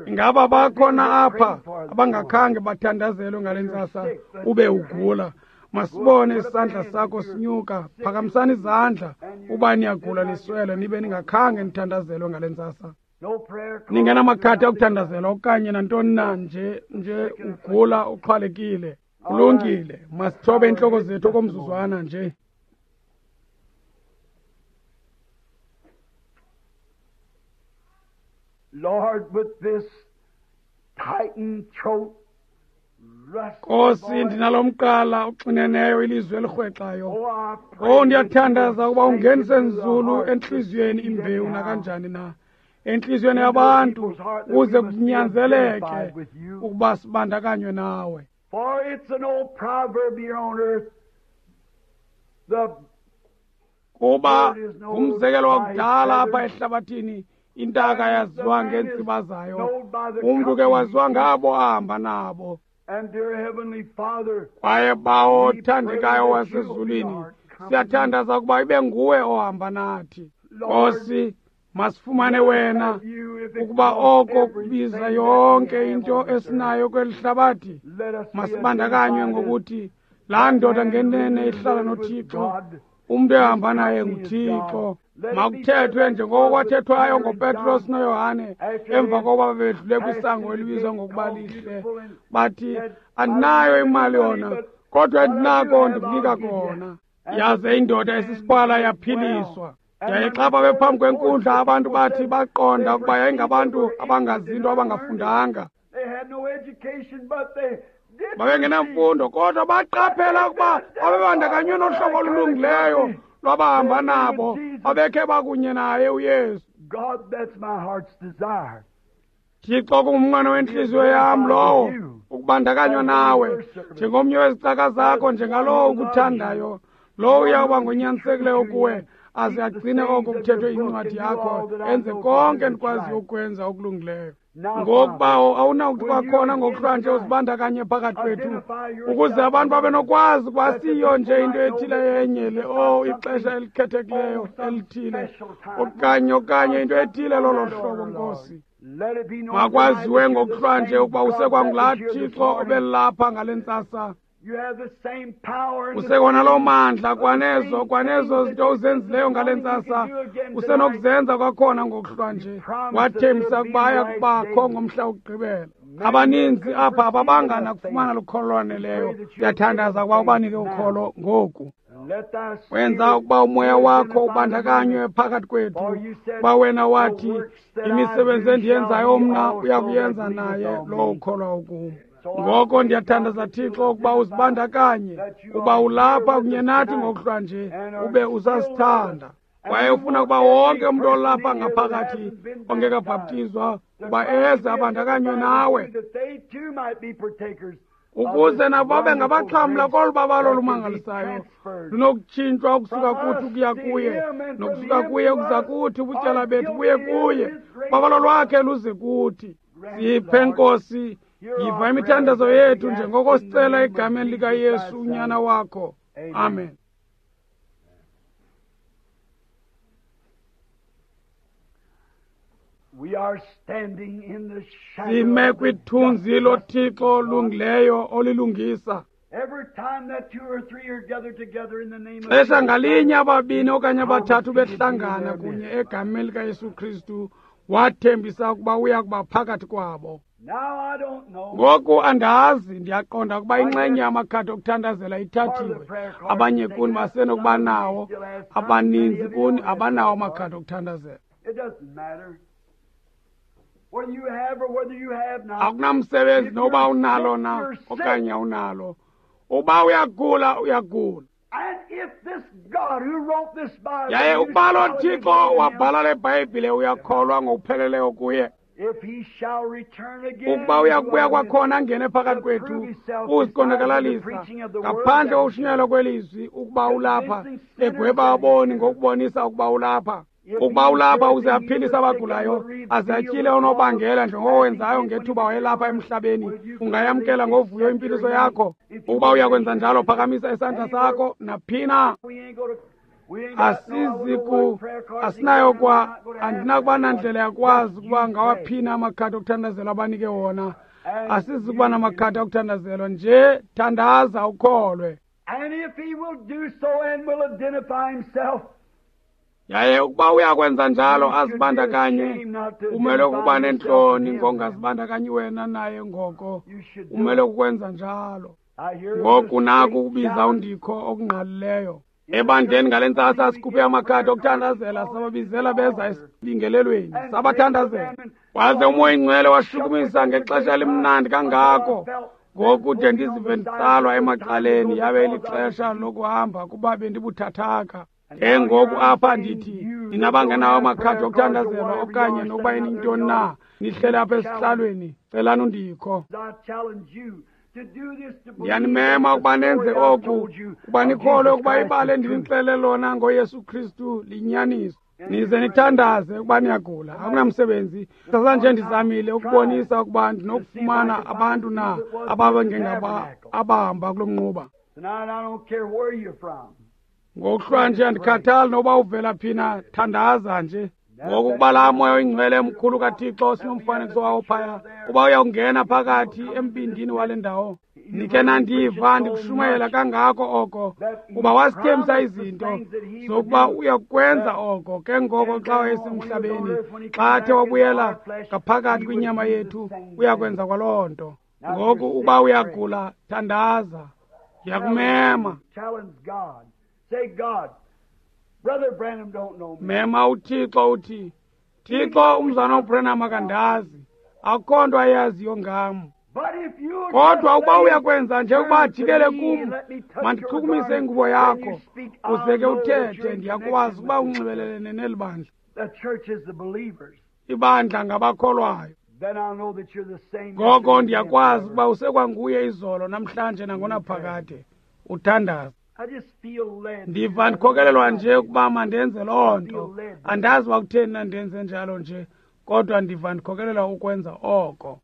Ingaba bakhona apha abangakhange bathandazelwe ngale ntsasa ube ugula? Masibone isandla sakho sinyuka. Phakamisani izandla uba niyagula niswele nibe ningakhange nithandazelwe ngale ntsasa. Ningenamakhadi okuthandazela okanye nantoni na, nje nje ugula uxhwalekile. Kulungile, masithobe iintloko zethu okomzuzwana nje. Lord, with this tightened throat, Nkosi, ndinalomqala uxineneyo ilizwi elirhwexayo. Oh, ndiyathandaza ukuba ungenise nzulu entliziyweni imbewu nakanjani na, entliziyweni yabantu, ukuze kunyanzeleke ukuba sibandakanywe nawe. For it's an old proverb here on earth. The Kuba ngumzekelo wakudala apha ehlabathini, intaka yaziwa ngeentsiba zayo, umntu ke waziwa ngabo ahamba nabo. And dear Heavenly Father, Kwaye Bawo othandekayo wasezulwini, siyathandaza ukuba ibe nguwe ohamba nathi. Nkosi, masifumane wena, ukuba oko kubiza yonke into esinayo kweli hlabathi, masibandakanywe ngokuthi laa ndoda ngenene ihlala noThixo, umntu ehamba naye nguThixo. Makuthethwe njengoko kwathethwayo ngoPetros noYohane emva kokuba bedlule kwisango elibizwa ngokuba lihle, bathi, andinayo imali yona, kodwa endinako ndikunika kona. Yaze indoda esisiqhwala yaphiliswa. Yaye xa babephambi kwenkundla, abantu bathi baqonda ukuba yayingabantu abangazinto, abangafundanga. They had no education, but they did Babengenamfundo, kodwa baqaphela ukuba babebandakanywe nohlobo olulungileyo lwabahamba nabo, babekhe bakunye naye uYesu. God, that's my heart's desire. Thixo, kungumnqweno wentliziyo yam lowo, ukubandakanywa nawe njengomnye wezicaka zakho, njengalowo ukuthandayo, lowo uyawuba ngonyanisekileyo kuwe, aze agcine oko kuthethwe incwadi yakho, enze konke endikwaziyo ukwenza okulungileyo. Ngoku, Bawo, awunakuthi kwakhona ngokuhlwa nje uzibandakanye phakathi kwethu, ukuze abantu babe nokwazi ukuba siyo nje into ethile yenye le, oh, ixesha elikhethekileyo elithile, okanye okanye into ethile lolo hlobo, Nkosi. Let it be known Makwaziwe ngokuhlwa nje ukuba tonight that usekwangulaa you're the same Thixo God that was here this obelapha ngale ntsasa. You have the same power and the Usekona loo same mandla kwanezo kwanezo zinto uzenzileyo ngale ntsasa, usenokuzenza kwakhona ngokuhlwa nje. Wathembisa ukuba aya kubakho ngomhla wokugqibela. Abaninzi apha ababangana kufumana lukholo lwaneleyo. Ndiyathandaza ukuba ubanike ukholo ngoku. Let thy spirit Wenza ukuba umoya wakho ubandakanywe phakathi kwethu, kuba wena wathi, imisebenzi endiyenzayo mna uya kuyenza naye lowo ukholwa kum. Ngoko ndiyathandaza, Thixo, ukuba uzibandakanye, uba ulapha kunye nathi ngokuhlwa nje, ube usasithanda. Kwaye ufuna ukuba wonke umntu olapha ngaphakathi ongekabhaptizwa uba eze abandakanywe nawe, that they too might be partakers ukuze nabo babe ngabaxhamla kolu babalo lumangalisayo lunokutshintshwa ukusuka kuthi ukuya kuye, nokusuka kuye ukuza kuthi, ubutyala bethu buye kuye, babalo lwakhe luze kuthi. Siphe, Nkosi, yiva imithandazo yethu njengoko sicela egameni likaYesu unyana wakho. Amen. We are standing in the shadow Sime of the kwithunzi just loThixo olungileyo olilungisa. Every time that two or three are gathered together in the name of Xesha Jesus, ngalinye ababini okanye abathathu behlangana kunye egameni likaYesu Kristu, wathembisa ukuba uya kuba phakathi kwabo. Now I don't know. Ngoku andazi, ndiyaqonda ukuba inxenye yamakhadi okuthandazela ithathiwe. Abanye kuni basenokuba nawo, abaninzi kuni abanawo amakhadi okuthandazela. It doesn't matter whether you have or whether you have not. Akunamsebenzi noba unalo na okanye awunalo. Uba uyagula, uyagula. And if this God who wrote this Bible, Yaye you ukuba lo solidly Thixo believe in him, wabhala le Bhayibhile uyakholwa ngokupheleleyo kuye. Ukuba uyakubuya kwakhona angene phakathi kwethu uziqondakalalisa ngaphandle kokushunyayelwa kwelizwi ukuba ulapha, egweba aboni ngokubonisa ukuba ulapha. Ukuba ulapha uze aphilise abagulayo, aze atyhile unobangela njengoko wenzayo ngethuba wayelapha emhlabeni, ungayamkela ngovuyo impiliso yakho. Ukuba uyakwenza njalo, phakamisa isandla sakho naphina. Asiziku asinayo kwa andinakuba nandlela yakwazi ukuba ngawaphina amakhadi okuthandazelwa abanike wona. Asizikuba namakhadi okuthandazelwa nje, thandaza ukholwe. And if he will do so and will identify himself, yaye ukuba uyakwenza njalo azibandakanye, umele ukuba nentloni ngongazibandakanyi wena naye, ngoko umele ukwenza njalo. Ngoku naku ukubiza undikho okungqalileyo. Ebandleni ngale ntsasa sikhuphe amakhadi okuthandazela, sababizela beza esibingelelweni, sabathandazela. Waze uMoya Oyingcwele washukumisa ngexesha elimnandi kangako, ngokude ndizive nditsalwa emacaleni, yabe lixesha lokuhamba kuba bendibuthathaka. Ke ngoku apha ndithi nina bangenawo amakhadi okuthandazelwa okanye nokuba inintoni na, nihlele apha esihlalweni, celani undikho. Ndiyanimema ukuba nenze oku, ukuba nikholwe ukuba ibali endinixelele lona ngoYesu Kristu liyinyaniso. Nize nithandaze ukuba niyagula, akunamsebenzi. Sasanje ndizamile ukubonisa ukuba ndinokufumana abantu na ababengengaba abahamba kulo mnquba. Ngokuhlwa nje andikhathali noba uvela phina, thandaza nje. Ngoku ukuba laa Moya Oyingcwele mkhulu kaThixo sinomfanekiso wawo phaya, uba uyawungena phakathi embindini wale ndawo. Nikhe nandiva ndikushumayela kangako oko, kuba wasithembisa izinto zokuba uyakwenza oko. Ke ngoko xa wayesemhlabeni, xa athe wabuyela ngaphakathi kwinyama yethu, uyakwenza kwaloo nto. Ngoku ukuba uyagula, thandaza. Ndiyakumema. Mema uThixo uthi, Thixo, umzana uBranham akandazi, akukho nto ayaziyo ngam. Kodwa ukuba uyakwenza nje ukuba ajikele kum, mandichukumise ingubo yakho, uze ke uthethe, ndiyakwazi ukuba unxibelelene neli bandla. Ibandla ngabakholwayo. Ngoko ndiyakwazi ukuba usekwanguye izolo, namhlanje nangonaphakade. Uthandaza. Ndiva ndikhokelelwa nje ukuba mandenze loo nto. Andazi uba kutheni na ndenze njalo nje, kodwa ndiva ndikhokelelwa ukwenza oko.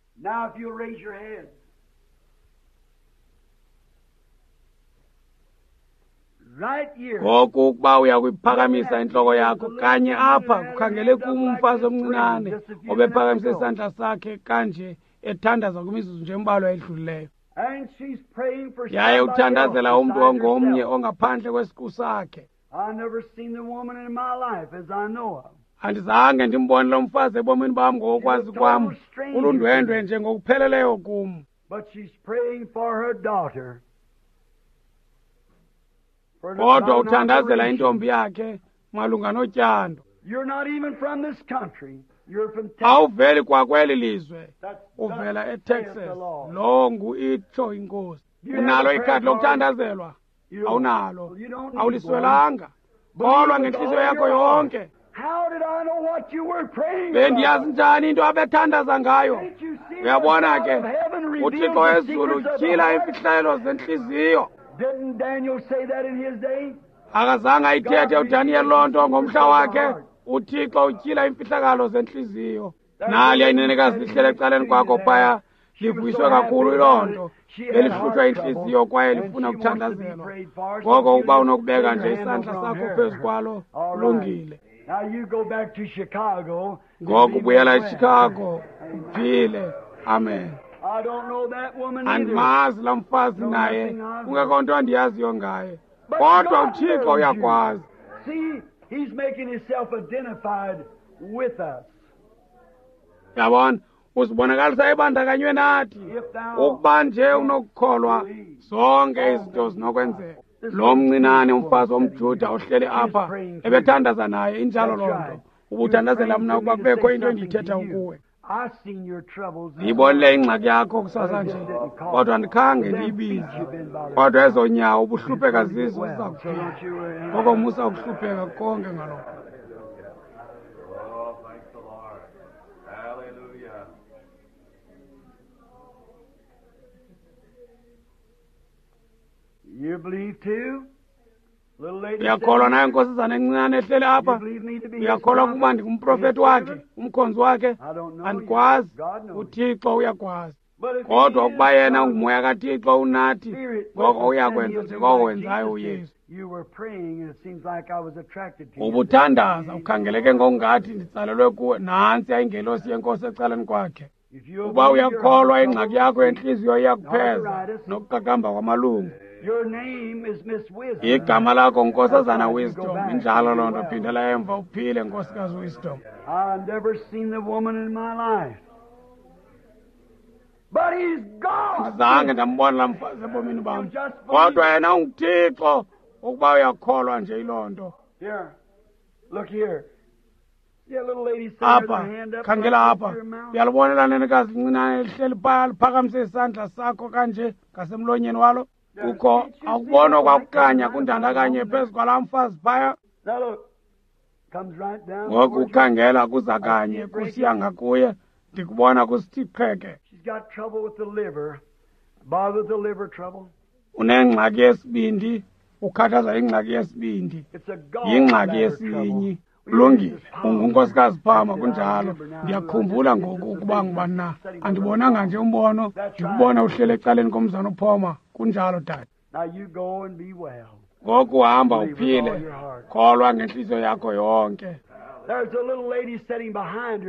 Ngoku ukuba uyakuyiphakamisa intloko yakho kanye apha, kukhangele kum umfazi omncinane obephakamise isandla sakhe kanje ethandaza kwimizuzu nje embalwa edlulileyo. Yaye uthandazela umntu ongomnye ongaphandle kwesiqu sakhe. Andizange ndimbone lo mfazi ebomini bam ngokokwazi kwam, ulundwendwe nje ngokupheleleyo kum. Kodwa uthandazela intombi yakhe malunga notyando. Awuveli kwakweli lizwe, uvela eTexas. Lo ngu itsho inkosi. Unalo ikhadi lokuthandazelwa? Awunalo. Awuliswelanga. Kholwa ngentliziyo yakho yonke. Bendiyazi njani into abethandaza ngayo? Uyabona ke, uThixo wezulu utyhila iimfihlelo zentliziyo. Akazange ayithethe uDaniel loo nto ngomhla wakhe. uThixo utyhila iimfihlakalo zentliziyo. Naliya inenekazi lihlele ecaleni kwakho phaya, livuyiswe kakhulu yiloo nto. Belihlutshwa intliziyo kwaye lifuna ukuthandazelwa. Ngoko ukuba unokubeka nje isandla sakho phezu kwalo, kulungile. Ngoku buyela eChicago, uphile. Amen. Andimazi laa mfazi naye, kungekho nto andiyaziyo ngaye. Kodwa uThixo uyakwazi. He's making himself identified with us. Yabona, uzibonakalisa ebandakanywe nathi. Ukuba nje unokukholwa, zonke izinto zinokwenzeka. Lo mncinane umfazi womJuda ohleli apha ebethandaza naye, injalo loo nto. Ubuthandazela mna ukuba kubekho into endiyithetha kuwe. Ndiyibonile ingxaki yakho kusasa nje, kodwa andikhange ndiyibize. Kodwa ezo nyawo ubuhlupheka zizo ziza kuphila. Ngoko musa ukuhlupheka konke ngalokho. Oh, thank the Lord. Hallelujah. Uyakholwa nayo nkosazana encinane ehleli apha? Uyakholwa ukuba ndingumprofeti wakhe, umkhonzi wakhe? Andikwazi, uThixo uyakwazi. Kodwa ukuba yena ungumoya kaThixo unathi, ngoko uyakwenza njengoko wenzayo uYesu. Ubuthandaza ukhangeleke ngokungathi nditsalelwe kuwe. Nantsi ingelosi yenkosi ecaleni kwakhe. Uba uyakholwa, ingxaki yakho yentliziyo iyakupheza nokuqaqamba kwamalungu. Igama lakho Nkosazana Wisdom. Injalo loo nto. Phindela emva uphile, Nkosikazi Wisdom. Andizange ndambona laa mfazi ebomini bam, kodwa yena unguThixo. Ukuba uyakholwa nje yiloo nto. Apha, khangela apha. Uyalibona elaa nenekazi lincinane lihleli phaya liphakamise isandla sakho kanje ngasemlonyeni walo? Kukho awukubona kwakukhanya kundandakanye phezu kwalaa mfazi phaya? Ngoku khangela kuza kanye kusiya ngakuye, ndikubona kusithi qheke. Unengxaki yesibindi, ukhathaza ingxaki yesibindi, yingxaki yesinyi. Kulungile, ungunkosikazi Phama, kunjalo. Ndiyakhumbula ngoku ukuba ngubani na. Andibonanga nje umbono, ndikubona uhleli ecaleni komzana uPhoma. Kunjalo, tata. Ngoku hamba uphile, kholwa ngentliziyo yakho yonke.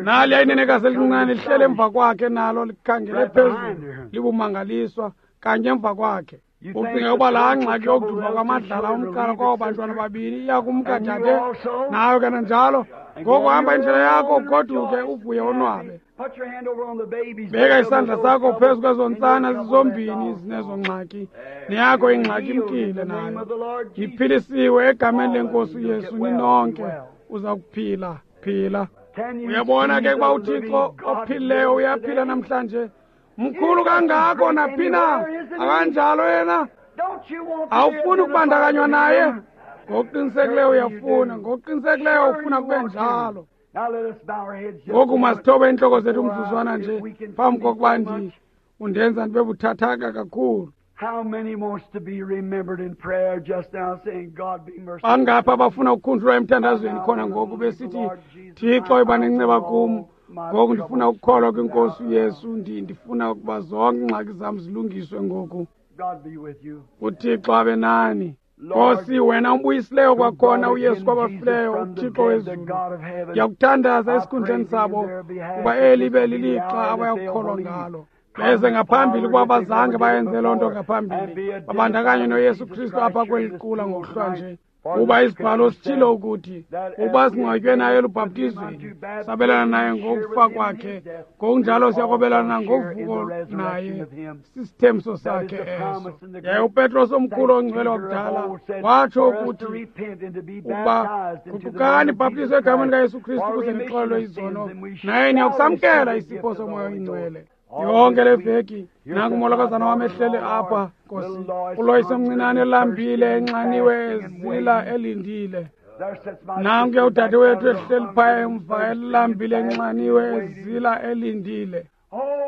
Naliya inenekazi elincinane lihleli emva kwakhe, nalo likhangele phezulu libumangaliswa kanye emva kwakhe. Ucinga ukuba laa ngxaki yokuduma kwamadlala umqala kwabo bantwana babini iyakumka, dade? Nayo kananjalo. Ngoku hamba indlela yakho, ugoduke uvuye onwabe. Beka isandla sakho phezu kwezo ntsana zizombini zinezo ngxaki, neyakho ingxaki imkile nayo. Niphilisiwe egameni lenkosi uYesu ninonke. Uza kuphila, phila. Uyabona ke ukuba uThixo ophilileyo uyaphila namhlanje. Mkhulu kangako naphi na, akanjalo yena? Awufuni ukubandakanywa naye? Ngokuqinisekileyo uyafuna, ngokuqinisekileyo ufuna kube njalo. Ngoku masithobe iintloko zethu umzuzwana nje phambi kokuba ndi undenza ndibe buthathaka kakhulu. Bangaphi abafuna ukukhunjulwa emthandazweni khona ngoku besithi, Thixo iba nenceba kum, ngoku ndifuna ukukholwa kwinkosi uYesu, ndifuna ukuba zonke iingxaki zam zilungiswe ngoku. UThixo abe nani. Nkosi, wena umbuyisileyo kwakhona uYesu kwabafileyo, uThixo wezulu, ndiyakuthandaza esikhundleni sabo ukuba eli ibe lilixa abayakukholwa ngalo. Beze ngaphambili ukuba bazange bayenze loo nto ngaphambili, babandakanye noYesu Kristu apha kweli qula ngokuhlwa nje. Kuba isibhalo sitshilo ukuthi ukuba singcwatywe naye elubhaptizweni, sabelana naye ngokufa kwakhe, ngokunjalo siyakwabelana ngovuko naye. Sisithembiso sakhe eso. Yaye uPetros omkhulu ongcwele wakudala watsho ukuthi ukuba guqukani, bhaptizwe egameni likaYesu Kristu ukuze nixolelwe izono, naye niyakusamkela isipho soMoya oyiNgcwele. Yonke le veki nangu umolokazana wam ehleli apha, Nkosi, uLoyce omncinane elambile, enxaniwe, ezila, elindile. Nankuya udade wethu ehleli phaya emva, elambile, enxaniwe, ezila, elindile.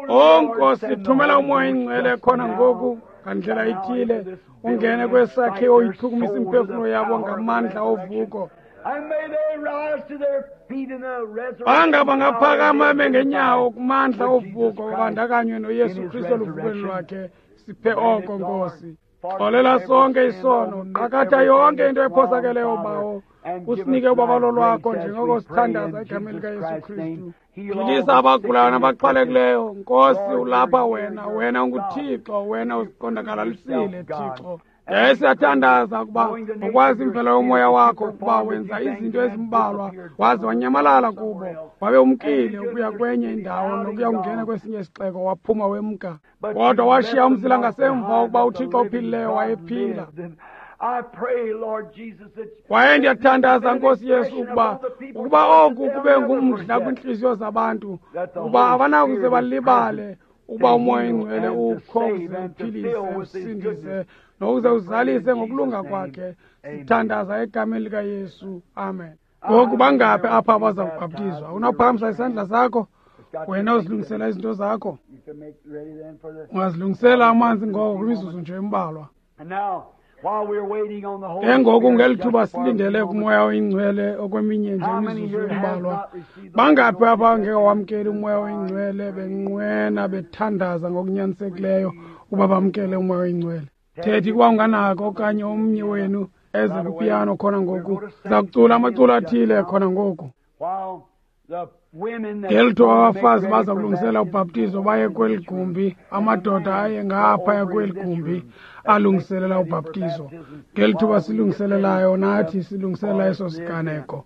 O Nkosi, thumela uMoya oyiNgcwele khona ngoku ngandlela ithile, ungene kwesakhiwo uyichukumise imiphefumlo yabo ngamandla ovuko. Banga bangaphakama bengenyawo kumandla ovuko, babandakanywe noYesu Kristu eluvukweni lwakhe. Siphe oko, Nkosi. Xolela sonke isono, qakatha yonke into ephosakeleyo, Bawo. Usinike ubabalo lwakho njengoko sithandaza egameni likaYesu Kristu. Philisa abagulayo nabaxhwalekileyo. Nkosi, ulapha wena, wena unguThixo, wena uziqondakalalisile, Thixo. Yaye siyathandaza ukuba ngokwazi imvelo yomoya wakho, ukuba wenza izinto ezimbalwa waze wanyamalala kubo, wabe umkile ukuya kwenye indawo nokuya kungena kwesinye isixeko, waphuma wemka. Kodwa washiya umsila ngasemva ukuba uThixo ophilileyo wayephila. Kwaye ndiyathandaza, Nkosi Yesu, ukuba ukuba oku kube ngumdla kwiintliziyo zabantu, ukuba abanakuze balibale ukuba uMoya oyiNgcwele ukho ukuze uphilise, usindise, nokuze uzalise ngokulunga kwakhe. Sithandaza egameni likaYesu. Amen. Ngoku bangaphi apha abaza kubhaptizwa? Unawuphakamisa isandla sakho, wena uzilungisela izinto zakho. Ungazilungisela amanzi ngoko kwimizuzu nje embalwa. Ke ngoku ngeli thuba silindele kuMoya oyiNgcwele okweminye nje imizuzu embalwa, bangaphi apha angeke wamkele uMoya oyiNgcwele benqwena bethandaza ngokunyanisekileyo ukuba bamkele uMoya oyiNgcwele? Thethi kuba unganako okanye omnye wenu eze kwipiyano khona ngoku. Siza kucula amaculo athile khona ngoku. Ngeli thuba abafazi baza kulungisela ubhaptizo baye kweli gumbi, amadoda aye ngaphaya kweli gumbi alungiselela ubhaptizo. Ngeli thuba silungiselelayo nathi silungiselela eso siganeko.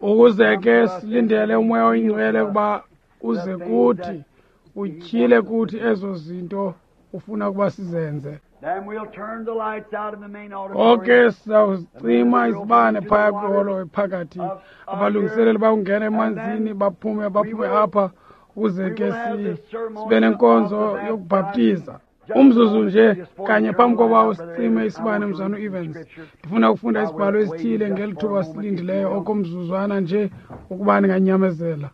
Ukuze ke silindele uMoya oyiNgcwele ukuba uze kuthi, utyhile kuthi ezo zinto ufuna ukuba sizenze. Oke sizawucima izibane phaya kwiholo ephakathi. Abalungiseleli bayongena emanzini baphume baphume apha ukuze ke sibe nenkonzo yokubhaptiza. Umzuzu nje kanye phambi koba usicime isibane, mzana uEvans, ndifuna ukufunda isibhalo esithile ngeli thuba silindileyo okomzuzwana nje ukuba ninganyamezela.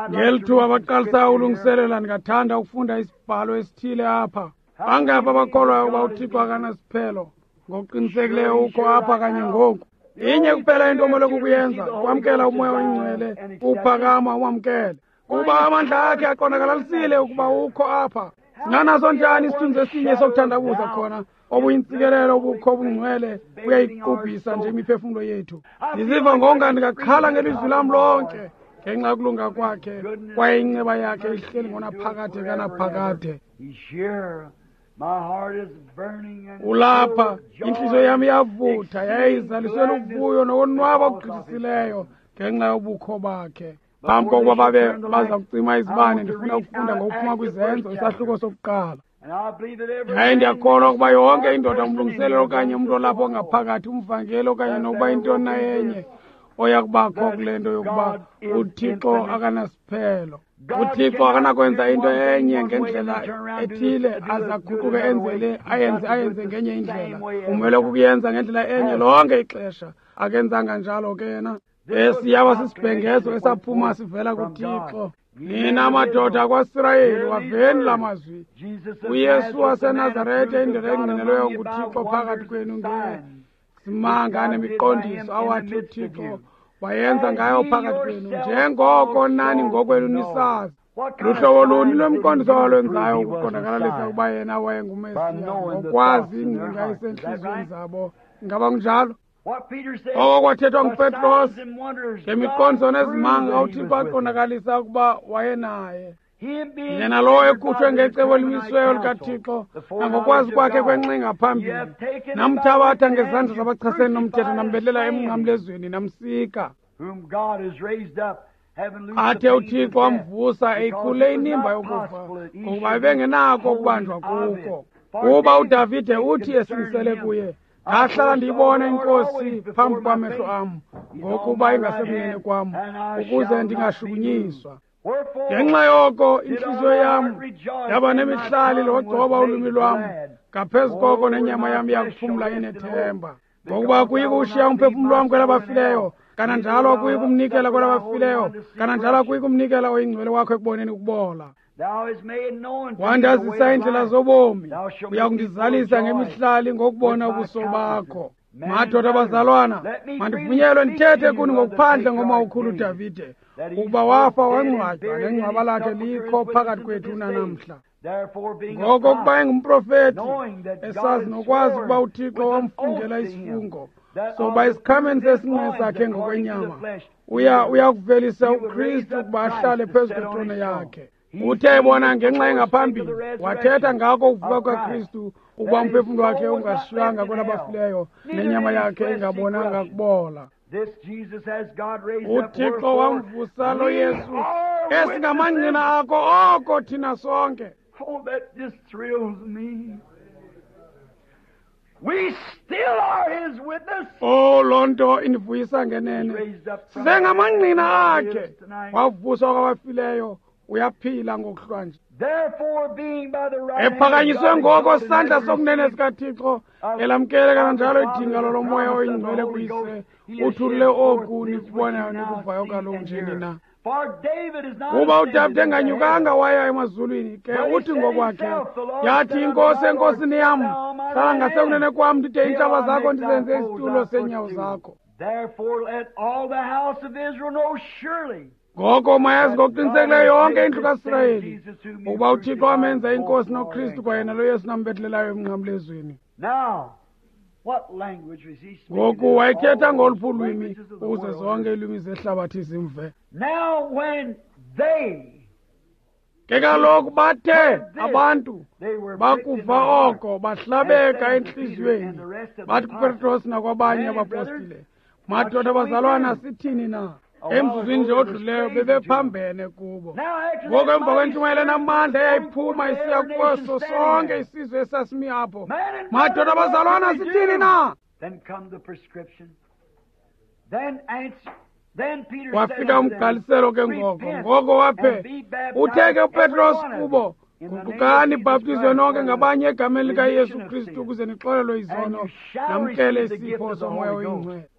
Ngeli thuba baqalisa ulungiselela, ndingathanda ukufunda isibhalo esithile apha. Bangaphi abakholwayo ukuba uThixo akanasiphelo? Ngokuqinisekileyo ukho apha kanye ngoku. Inye kuphela into omele kukuyenza, kwamkela uMoya oyiNgcwele, uphakama umamkele. Kuba amandla akhe aqondakalalisile ukuba ukho apha. Singanaso njani isithunzi esinye sokuthandabuza khona? Obuyintsikelelo obukho obungcwele buyayiqubhisa nje imiphefumlo yethu. Ndiziva ngonga ndingakhala ngelizwi lam lonke ngenxa yokulunga kwakhe, kwaye inceba yakhe ihleli ngonaphakade kanaphakade. Ulapha, intliziyo yam iyavutha, yaye izaliswe luvuyo nokonwaba okugqithisileyo ngenxa yobukho bakhe. Phambi kokuba babe baza kucima izibane, ndifuna ukufunda ngokuphuma kwiZenzo isahluko sokuqala. Yaye ndiyakholwa ukuba yonke indoda, umlungiseleli okanye umntu olapho ngaphakathi, umvangeli okanye nokuba intoni na enye, oya kubakho kule nto yokuba uThixo akanasiphelo. UThixo akanakwenza into enye ngendlela ethile aze aguquke enze le ayenze ayenze ngenye indlela. Umele ukuyenza ngendlela enye lonke ixesha. Akenzanga njalo ke yena. Esi yaba sisibhengezo esaphuma sivela kuThixo. Nina madoda akwaSirayeli, waveni la mazwi. UYesu waseNazarete, indoda engqinelweyo nguThixo phakathi kwenu ngesimanga nemiqondiso awathi uThixo wayenza ngayo phakathi kwenu, njengoko nani ngokwenu nisazi. Luhlobo luni lwemiqondiso awalwenzayo ukuqondakalalisa ukuba yena wayenguMesiya, ngokwazi ingcinga esentliziyweni zabo? Ingaba kunjalo? Oko kwathethwa nguPetros ngemiqondiso nezimanga uThixo aqondakalisa ukuba wayenaye. Yena lowo ekhutshwe ngecebo elimisiweyo likaThixo nangokwazi kwakhe kwenxinga phambili, namthabatha ngezandla zabachasene nomthetho, nambelela emnqamlezweni, namsika. Athe uThixo wamvusa eyikhule inimba yokufa, ngokuba ebengenako ukubanjwa kuko. Kuba uDavide uthi esingisele kuye, ndahlala ndiyibona iNkosi phambi kwamehlo am, ngokuba ingasekunene kwam, ukuze ndingashukunyiswa. Ngenxa yoko intliziyo yam yaba nemihlali logcoba ulwimi lwam, ngaphezu koko nenyama yam iyakuphumla inethemba. Ngokuba akuyi kuwushiya umphefumlo wam kwelabafileyo, kananjalo akuyi kumnikela kwelabafileyo, kananjalo akuyi kumnikela oyingcwele wakho ekuboneni ukubola. Wandazisa iindlela zobomi, uya kundizalisa ngemihlali ngokubona ubuso bakho. Madoda bazalwana, mandivunyelwe ndithethe kuni ngokuphandle ngomawukhulu uDavide, ukuba wafa wangcwatywa, nengcwaba lakhe likho phakathi kwethu unanamhla. Ngoko kuba engumprofeti, esazi nokwazi ukuba uThixo wamfungela isifungo sokuba isikhameni sesinqe sakhe ngokwenyama uya uya kuvelisa uKristu ukuba ahlale phezu kwetrone yakhe. Uthe ebona ngenxa engaphambili, wathetha ngako ukuvuka kukaKristu, ukuba umphefumlo wakhe ungashiywanga kwelabafileyo, nenyama yakhe ingabonanga kubola. UThixo wamvusa lo Yesu, esingamangqina akho oko thina sonke. Oh, that just thrills me. We still are his witness. Oh, loo nto indivuyisa ngenene. Sisengamangqina akhe. Wavuswa kwabafileyo, uyaphila ngokuhlwa nje. Ephakanyiswe ngoko sandla sokunene sikaThixo, elamkele kananjalo idingalo loMoya oyiNgcwele kuyise, uthulule oku nikubonayo nikuvayo kaloku nje nina. Kuba uDavide enganyukanga waya emazulwini, ke uthi ngokwakhe, yathi inkosi enkosini yam, hlala ngasekunene kwam ndide iintshaba zakho ndizenze isitulo seenyawo zakho. Ngoko mayazi ngokuqinisekileyo yonke indlu kaSirayeli ukuba uThixo wamenza inkosi noKristu kwayena lo Yesu nambethelelayo emnqamlezweni. Ngoku wayethetha ngoluphi ulwimi ukuze zonke iilwimi zehlabathi zimve. Ke kaloku bathe abantu bakuva oko bahlabeka entliziyweni, bathi kuPetros nakwabanye abapostile, madoda bazalwana, sithini na? Emzuzwini nje odluleyo bebephambene kubo. Ngoku emva kwentshumayelo enamandla eyayiphuma isiya kweso sonke isizwe esasimi apho, madoda bazalwana, sithini na? Wafika umgqaliselo ke ngoko. Ngoko waphe uthe ke uPetros kubo, guqukani bhaptizwe nonke ngabanye egameni likaYesu Kristu ukuze nixolelwe izono namkele isipho soMoya oyiNgcwele.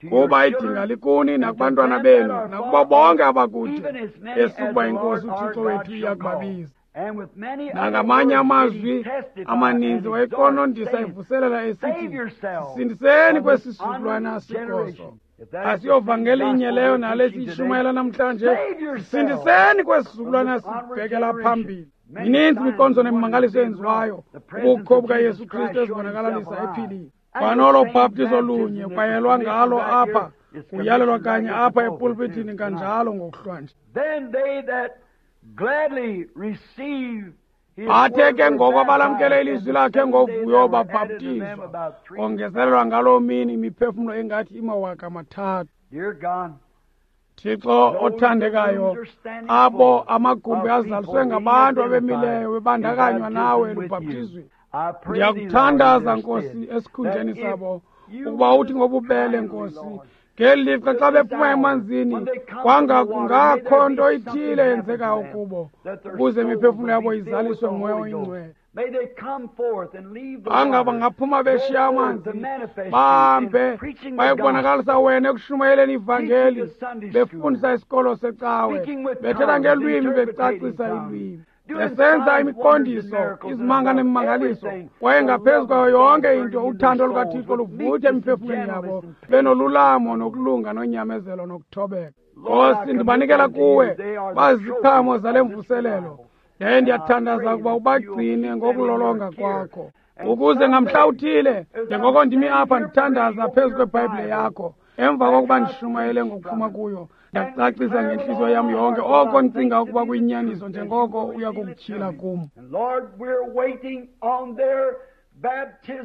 Kuba idinga likuni nakubantwana benu nakubo bonke abakude, esukuba inkosi uThixo wethu iyakubabiza. Nangamanye amazwi amaninzi wayeqonondisa evuselela esithi, sisindiseni kwesi sizukulwana sigoso. Asiyovangeli inye leyo nale siyishumayela namhlanje. Sisindiseni kwesi sizukulwana sibhekela phambili. Mininzi imiqondiso nemimangaliso eyenziwayo, ubukho bukaYesu Kristu ezibonakalisa ephilile. Kwanolo bhaptizo lunye kwayelwa ngalo apha, kuyalelwa kanye apha epulpithini kanjalo ngokuhlwanje. Bathe ke ngoko abalamkele ilizwi lakhe ngovuyo babhaptizwa, kongezelelwa ngaloo mini imiphefumlo engathi imawaka amathathu. Thixo othandekayo, abo amagumbi azaliswe ngabantu abemileyo bebandakanywa nawe elubhaptizweni, ndiyakuthandaza Nkosi esikhundleni sabo ukuba uthi ngobubele Nkosi, ngeli lixa xa bephuma emanzini kwanga kungakho nto ithile yenzekayo kubo, ukuze imiphefumlo yabo izaliswe nguMoya oyiNgcwele. Anga bangaphuma beshiya amanzi, bahambe bayekubonakalisa wena ekushumayeleni ivangeli, befundisa isikolo secawe, bethetha ngelwimi, becacisa ilwimi, besenza imiqondiso, izimanga nemimangaliso, kwaye ngaphezu kwayo yonke into uthando lukaThixo luvuthe emiphefumlweni yabo, benolulamo nokulunga nonyamezelo nokuthobeka. Nkosi, ndibanikela kuwe, baziziqhamo zale mvuselelo, yaye ndiyathandaza ukuba ubagcine ngokulolonga kwakho, ukuze ngamhla uthile, njengoko ndimi apha ndithandaza phezu kweBhayibhile yakho, emva kokuba ndishumayele ngokuphuma kuyo, ndiyacacisa ngentliziyo yam yonke oko ndicinga ukuba kuyinyaniso njengoko uya kukutyhila kum.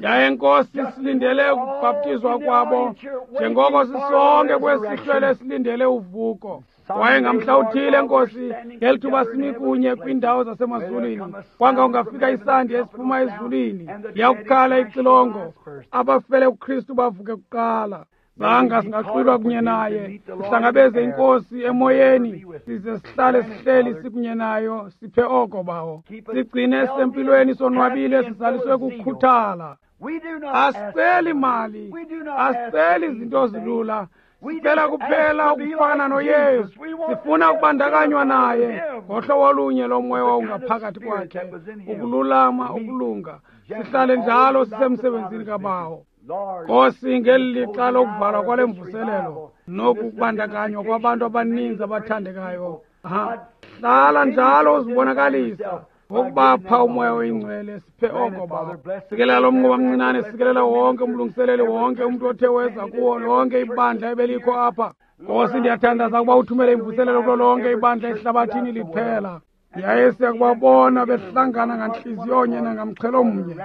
Yaye Nkosi, silindele ukubhaptizwa kwabo njengoko sisonke kwesihlwele silindele uvuko. Kwaye ngamhla uthile Nkosi, ngeli thuba simi kunye kwiindawo zasemazulwini, kwanga ungafika isandi esiphuma ezulwini, liyakukhala ixilongo, abafele kuKristu bavuke kuqala. Zanga singaxwilwa kunye naye, sihlangabeze inkosi emoyeni, size sihlale sihleli sikunye nayo, siphe oko bawo. Sigcine sisempilweni, sonwabile, sizaliswe kukhuthala. Asiceli mali, asiceli izinto ezilula, sicela kuphela ukufana noYesu. Sifuna ukubandakanywa naye ngohlobo olunye lomoya owawungaphakathi kwakhe, ukululama, ukulunga. Sihlale njalo sisemsebenzini kabawo. Nkosi, ngeli lixa lokuvalwa kwale mvuselelo nokubandakanywa kwabantu abaninzi abathandekayo, hlala njalo uzibonakalisa ngokubapha uMoya oyiNgcwele. Siphe oko bawo. Sikelela lo mnquba mncinane, sikelela wonke umlungiseleli, wonke umntu othe weza kuwo lonke ibandla ebelikho apha. Nkosi, ndiyathandaza ukuba uthumele imvuselelo kulo lonke ibandla ehlabathini liphela. Yaye siyakubabona behlangana ngantliziyonye nangamxhelo mnye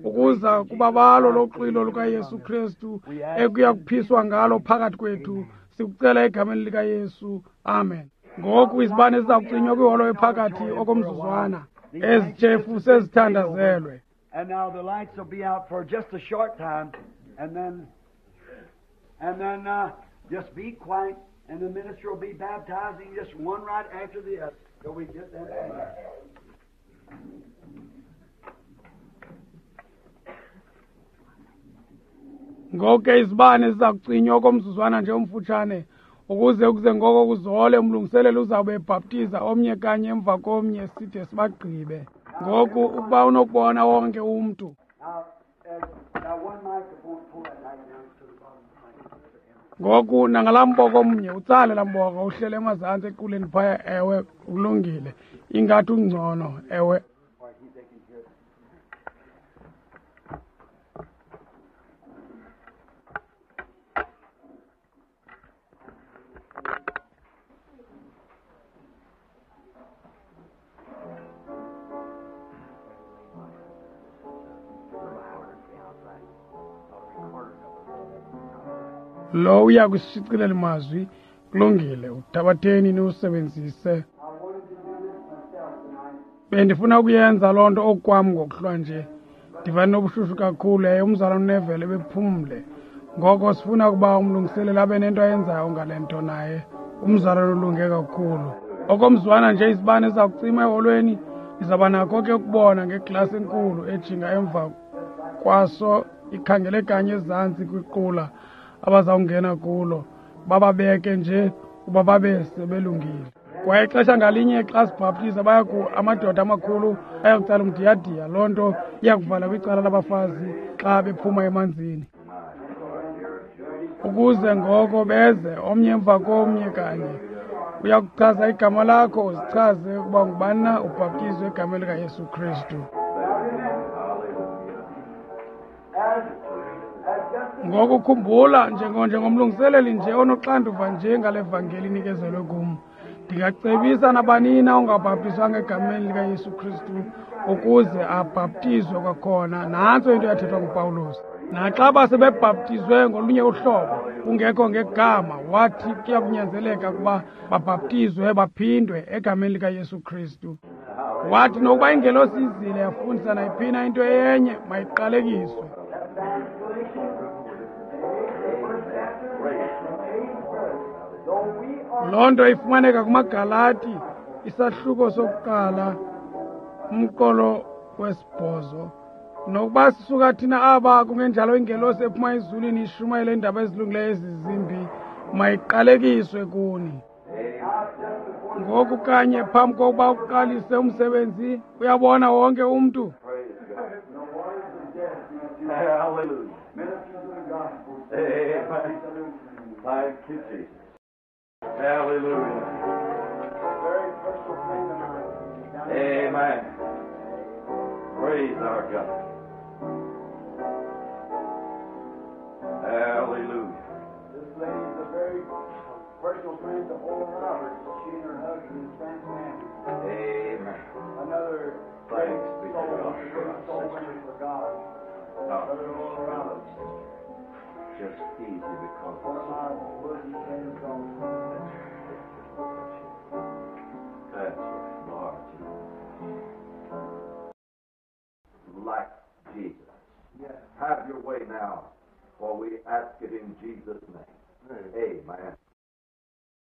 ukuza kubabalo loxwilo lukaYesu Kristu ekuya kuphiswa ngalo phakathi kwethu. Sikucela egameni likaYesu, amen. Ngoku izibane ziza kucinywa kwiholo ephakathi okomzuzwana. Ezi tshefu sezithandazelwe. And now the lights will be out for just a short time, and then and then uh, just be quiet, and the minister will be baptizing just one right after the other till we get that finished. Ngoku ke izibane ziza kucinywa okomzuzwana nje omfutshane, Ukuze ukuze ngoko kuzole umlungiseleli uzawube ebhaptiza omnye kanye emva komnye side sibagqibe. Ngoku ukuba unokubona wonke umntu. Ngoku nangalaa mboko omnye utsale laa mboko uhlele emazantsi equleni phaya, ewe kulungile. Ingathi ungcono, ewe. Lo uya kusishicilela mazwi kulungile, uthabatheni niwusebenzise. Bendifuna ukuyenza loo nto okwam ngokuhlwa nje. Ndiva nobushushu kakhulu yaye umzalwane uNeville bephumle. Ngoko sifuna ukuba umlungiseleli abe nento ayenzayo ngale nto naye. Umzalwane ulunge kakhulu. Okomzwana nje izibane ziza kucima eholweni, nizawuba nakho ke ukubona ngeglasi enkulu ejinga emva kwaso ikhangele kanye ezantsi kwiqula abazawungena kulo, bababeke nje uba babe sebelungile. Kwaye ixesha ngalinye xa sibhaptiza baya ku amadoda amakhulu ayakutsala umdiyadiya. Loo nto iyakuvala kwicala labafazi xa bephuma emanzini, ukuze ngoko beze omnye emva komnye kanye. Uyakuchaza igama lakho, uzichaze ukuba ngubani na, ubhaptizwe egameni likaYesu Kristu. Ngoku khumbula, njengomlungiseleli nje onoxanduva nje ngale vangeli inikezelwe kum, ndingacebisa nabanina ongabhaptizwanga egameni likaYesu Kristu ukuze abhaptizwe kwakhona. Nantso into yathethwa nguPawulos. Naxa basebebhaptizwe ngolunye uhlobo kungekho ngegama, wathi kuyakunyanzeleka ukuba babhaptizwe baphindwe egameni likaYesu Kristu. Wathi nokuba ingelosi izile yafundisa nayiphina into enye, mayiqalekiswe. Loo nto ifumaneka kumaGalati, isahluko sokuqala, umqolo wesibhozo. Nokuba sisuka thina aba kungenjalo ingelosi ephuma ezulwini ishumayele iindaba ezilungileyo ezizimbi, mayiqalekiswe kuni. Ngoku kanye phambi kokuba uqalise umsebenzi, uyabona wonke umntu. Hallelujah. Amen. Praise our God. Hallelujah. This lady is a very personal friend to Oral Roberts. She and her husband and Frank Manning. Amen. Another great soul, great soul winner for God. Brother Oral Roberts. Just easy because one of my worthy friends also. That's right, Lord. Like Jesus. Yes. Have your way now, for we ask it in Jesus' name. Amen.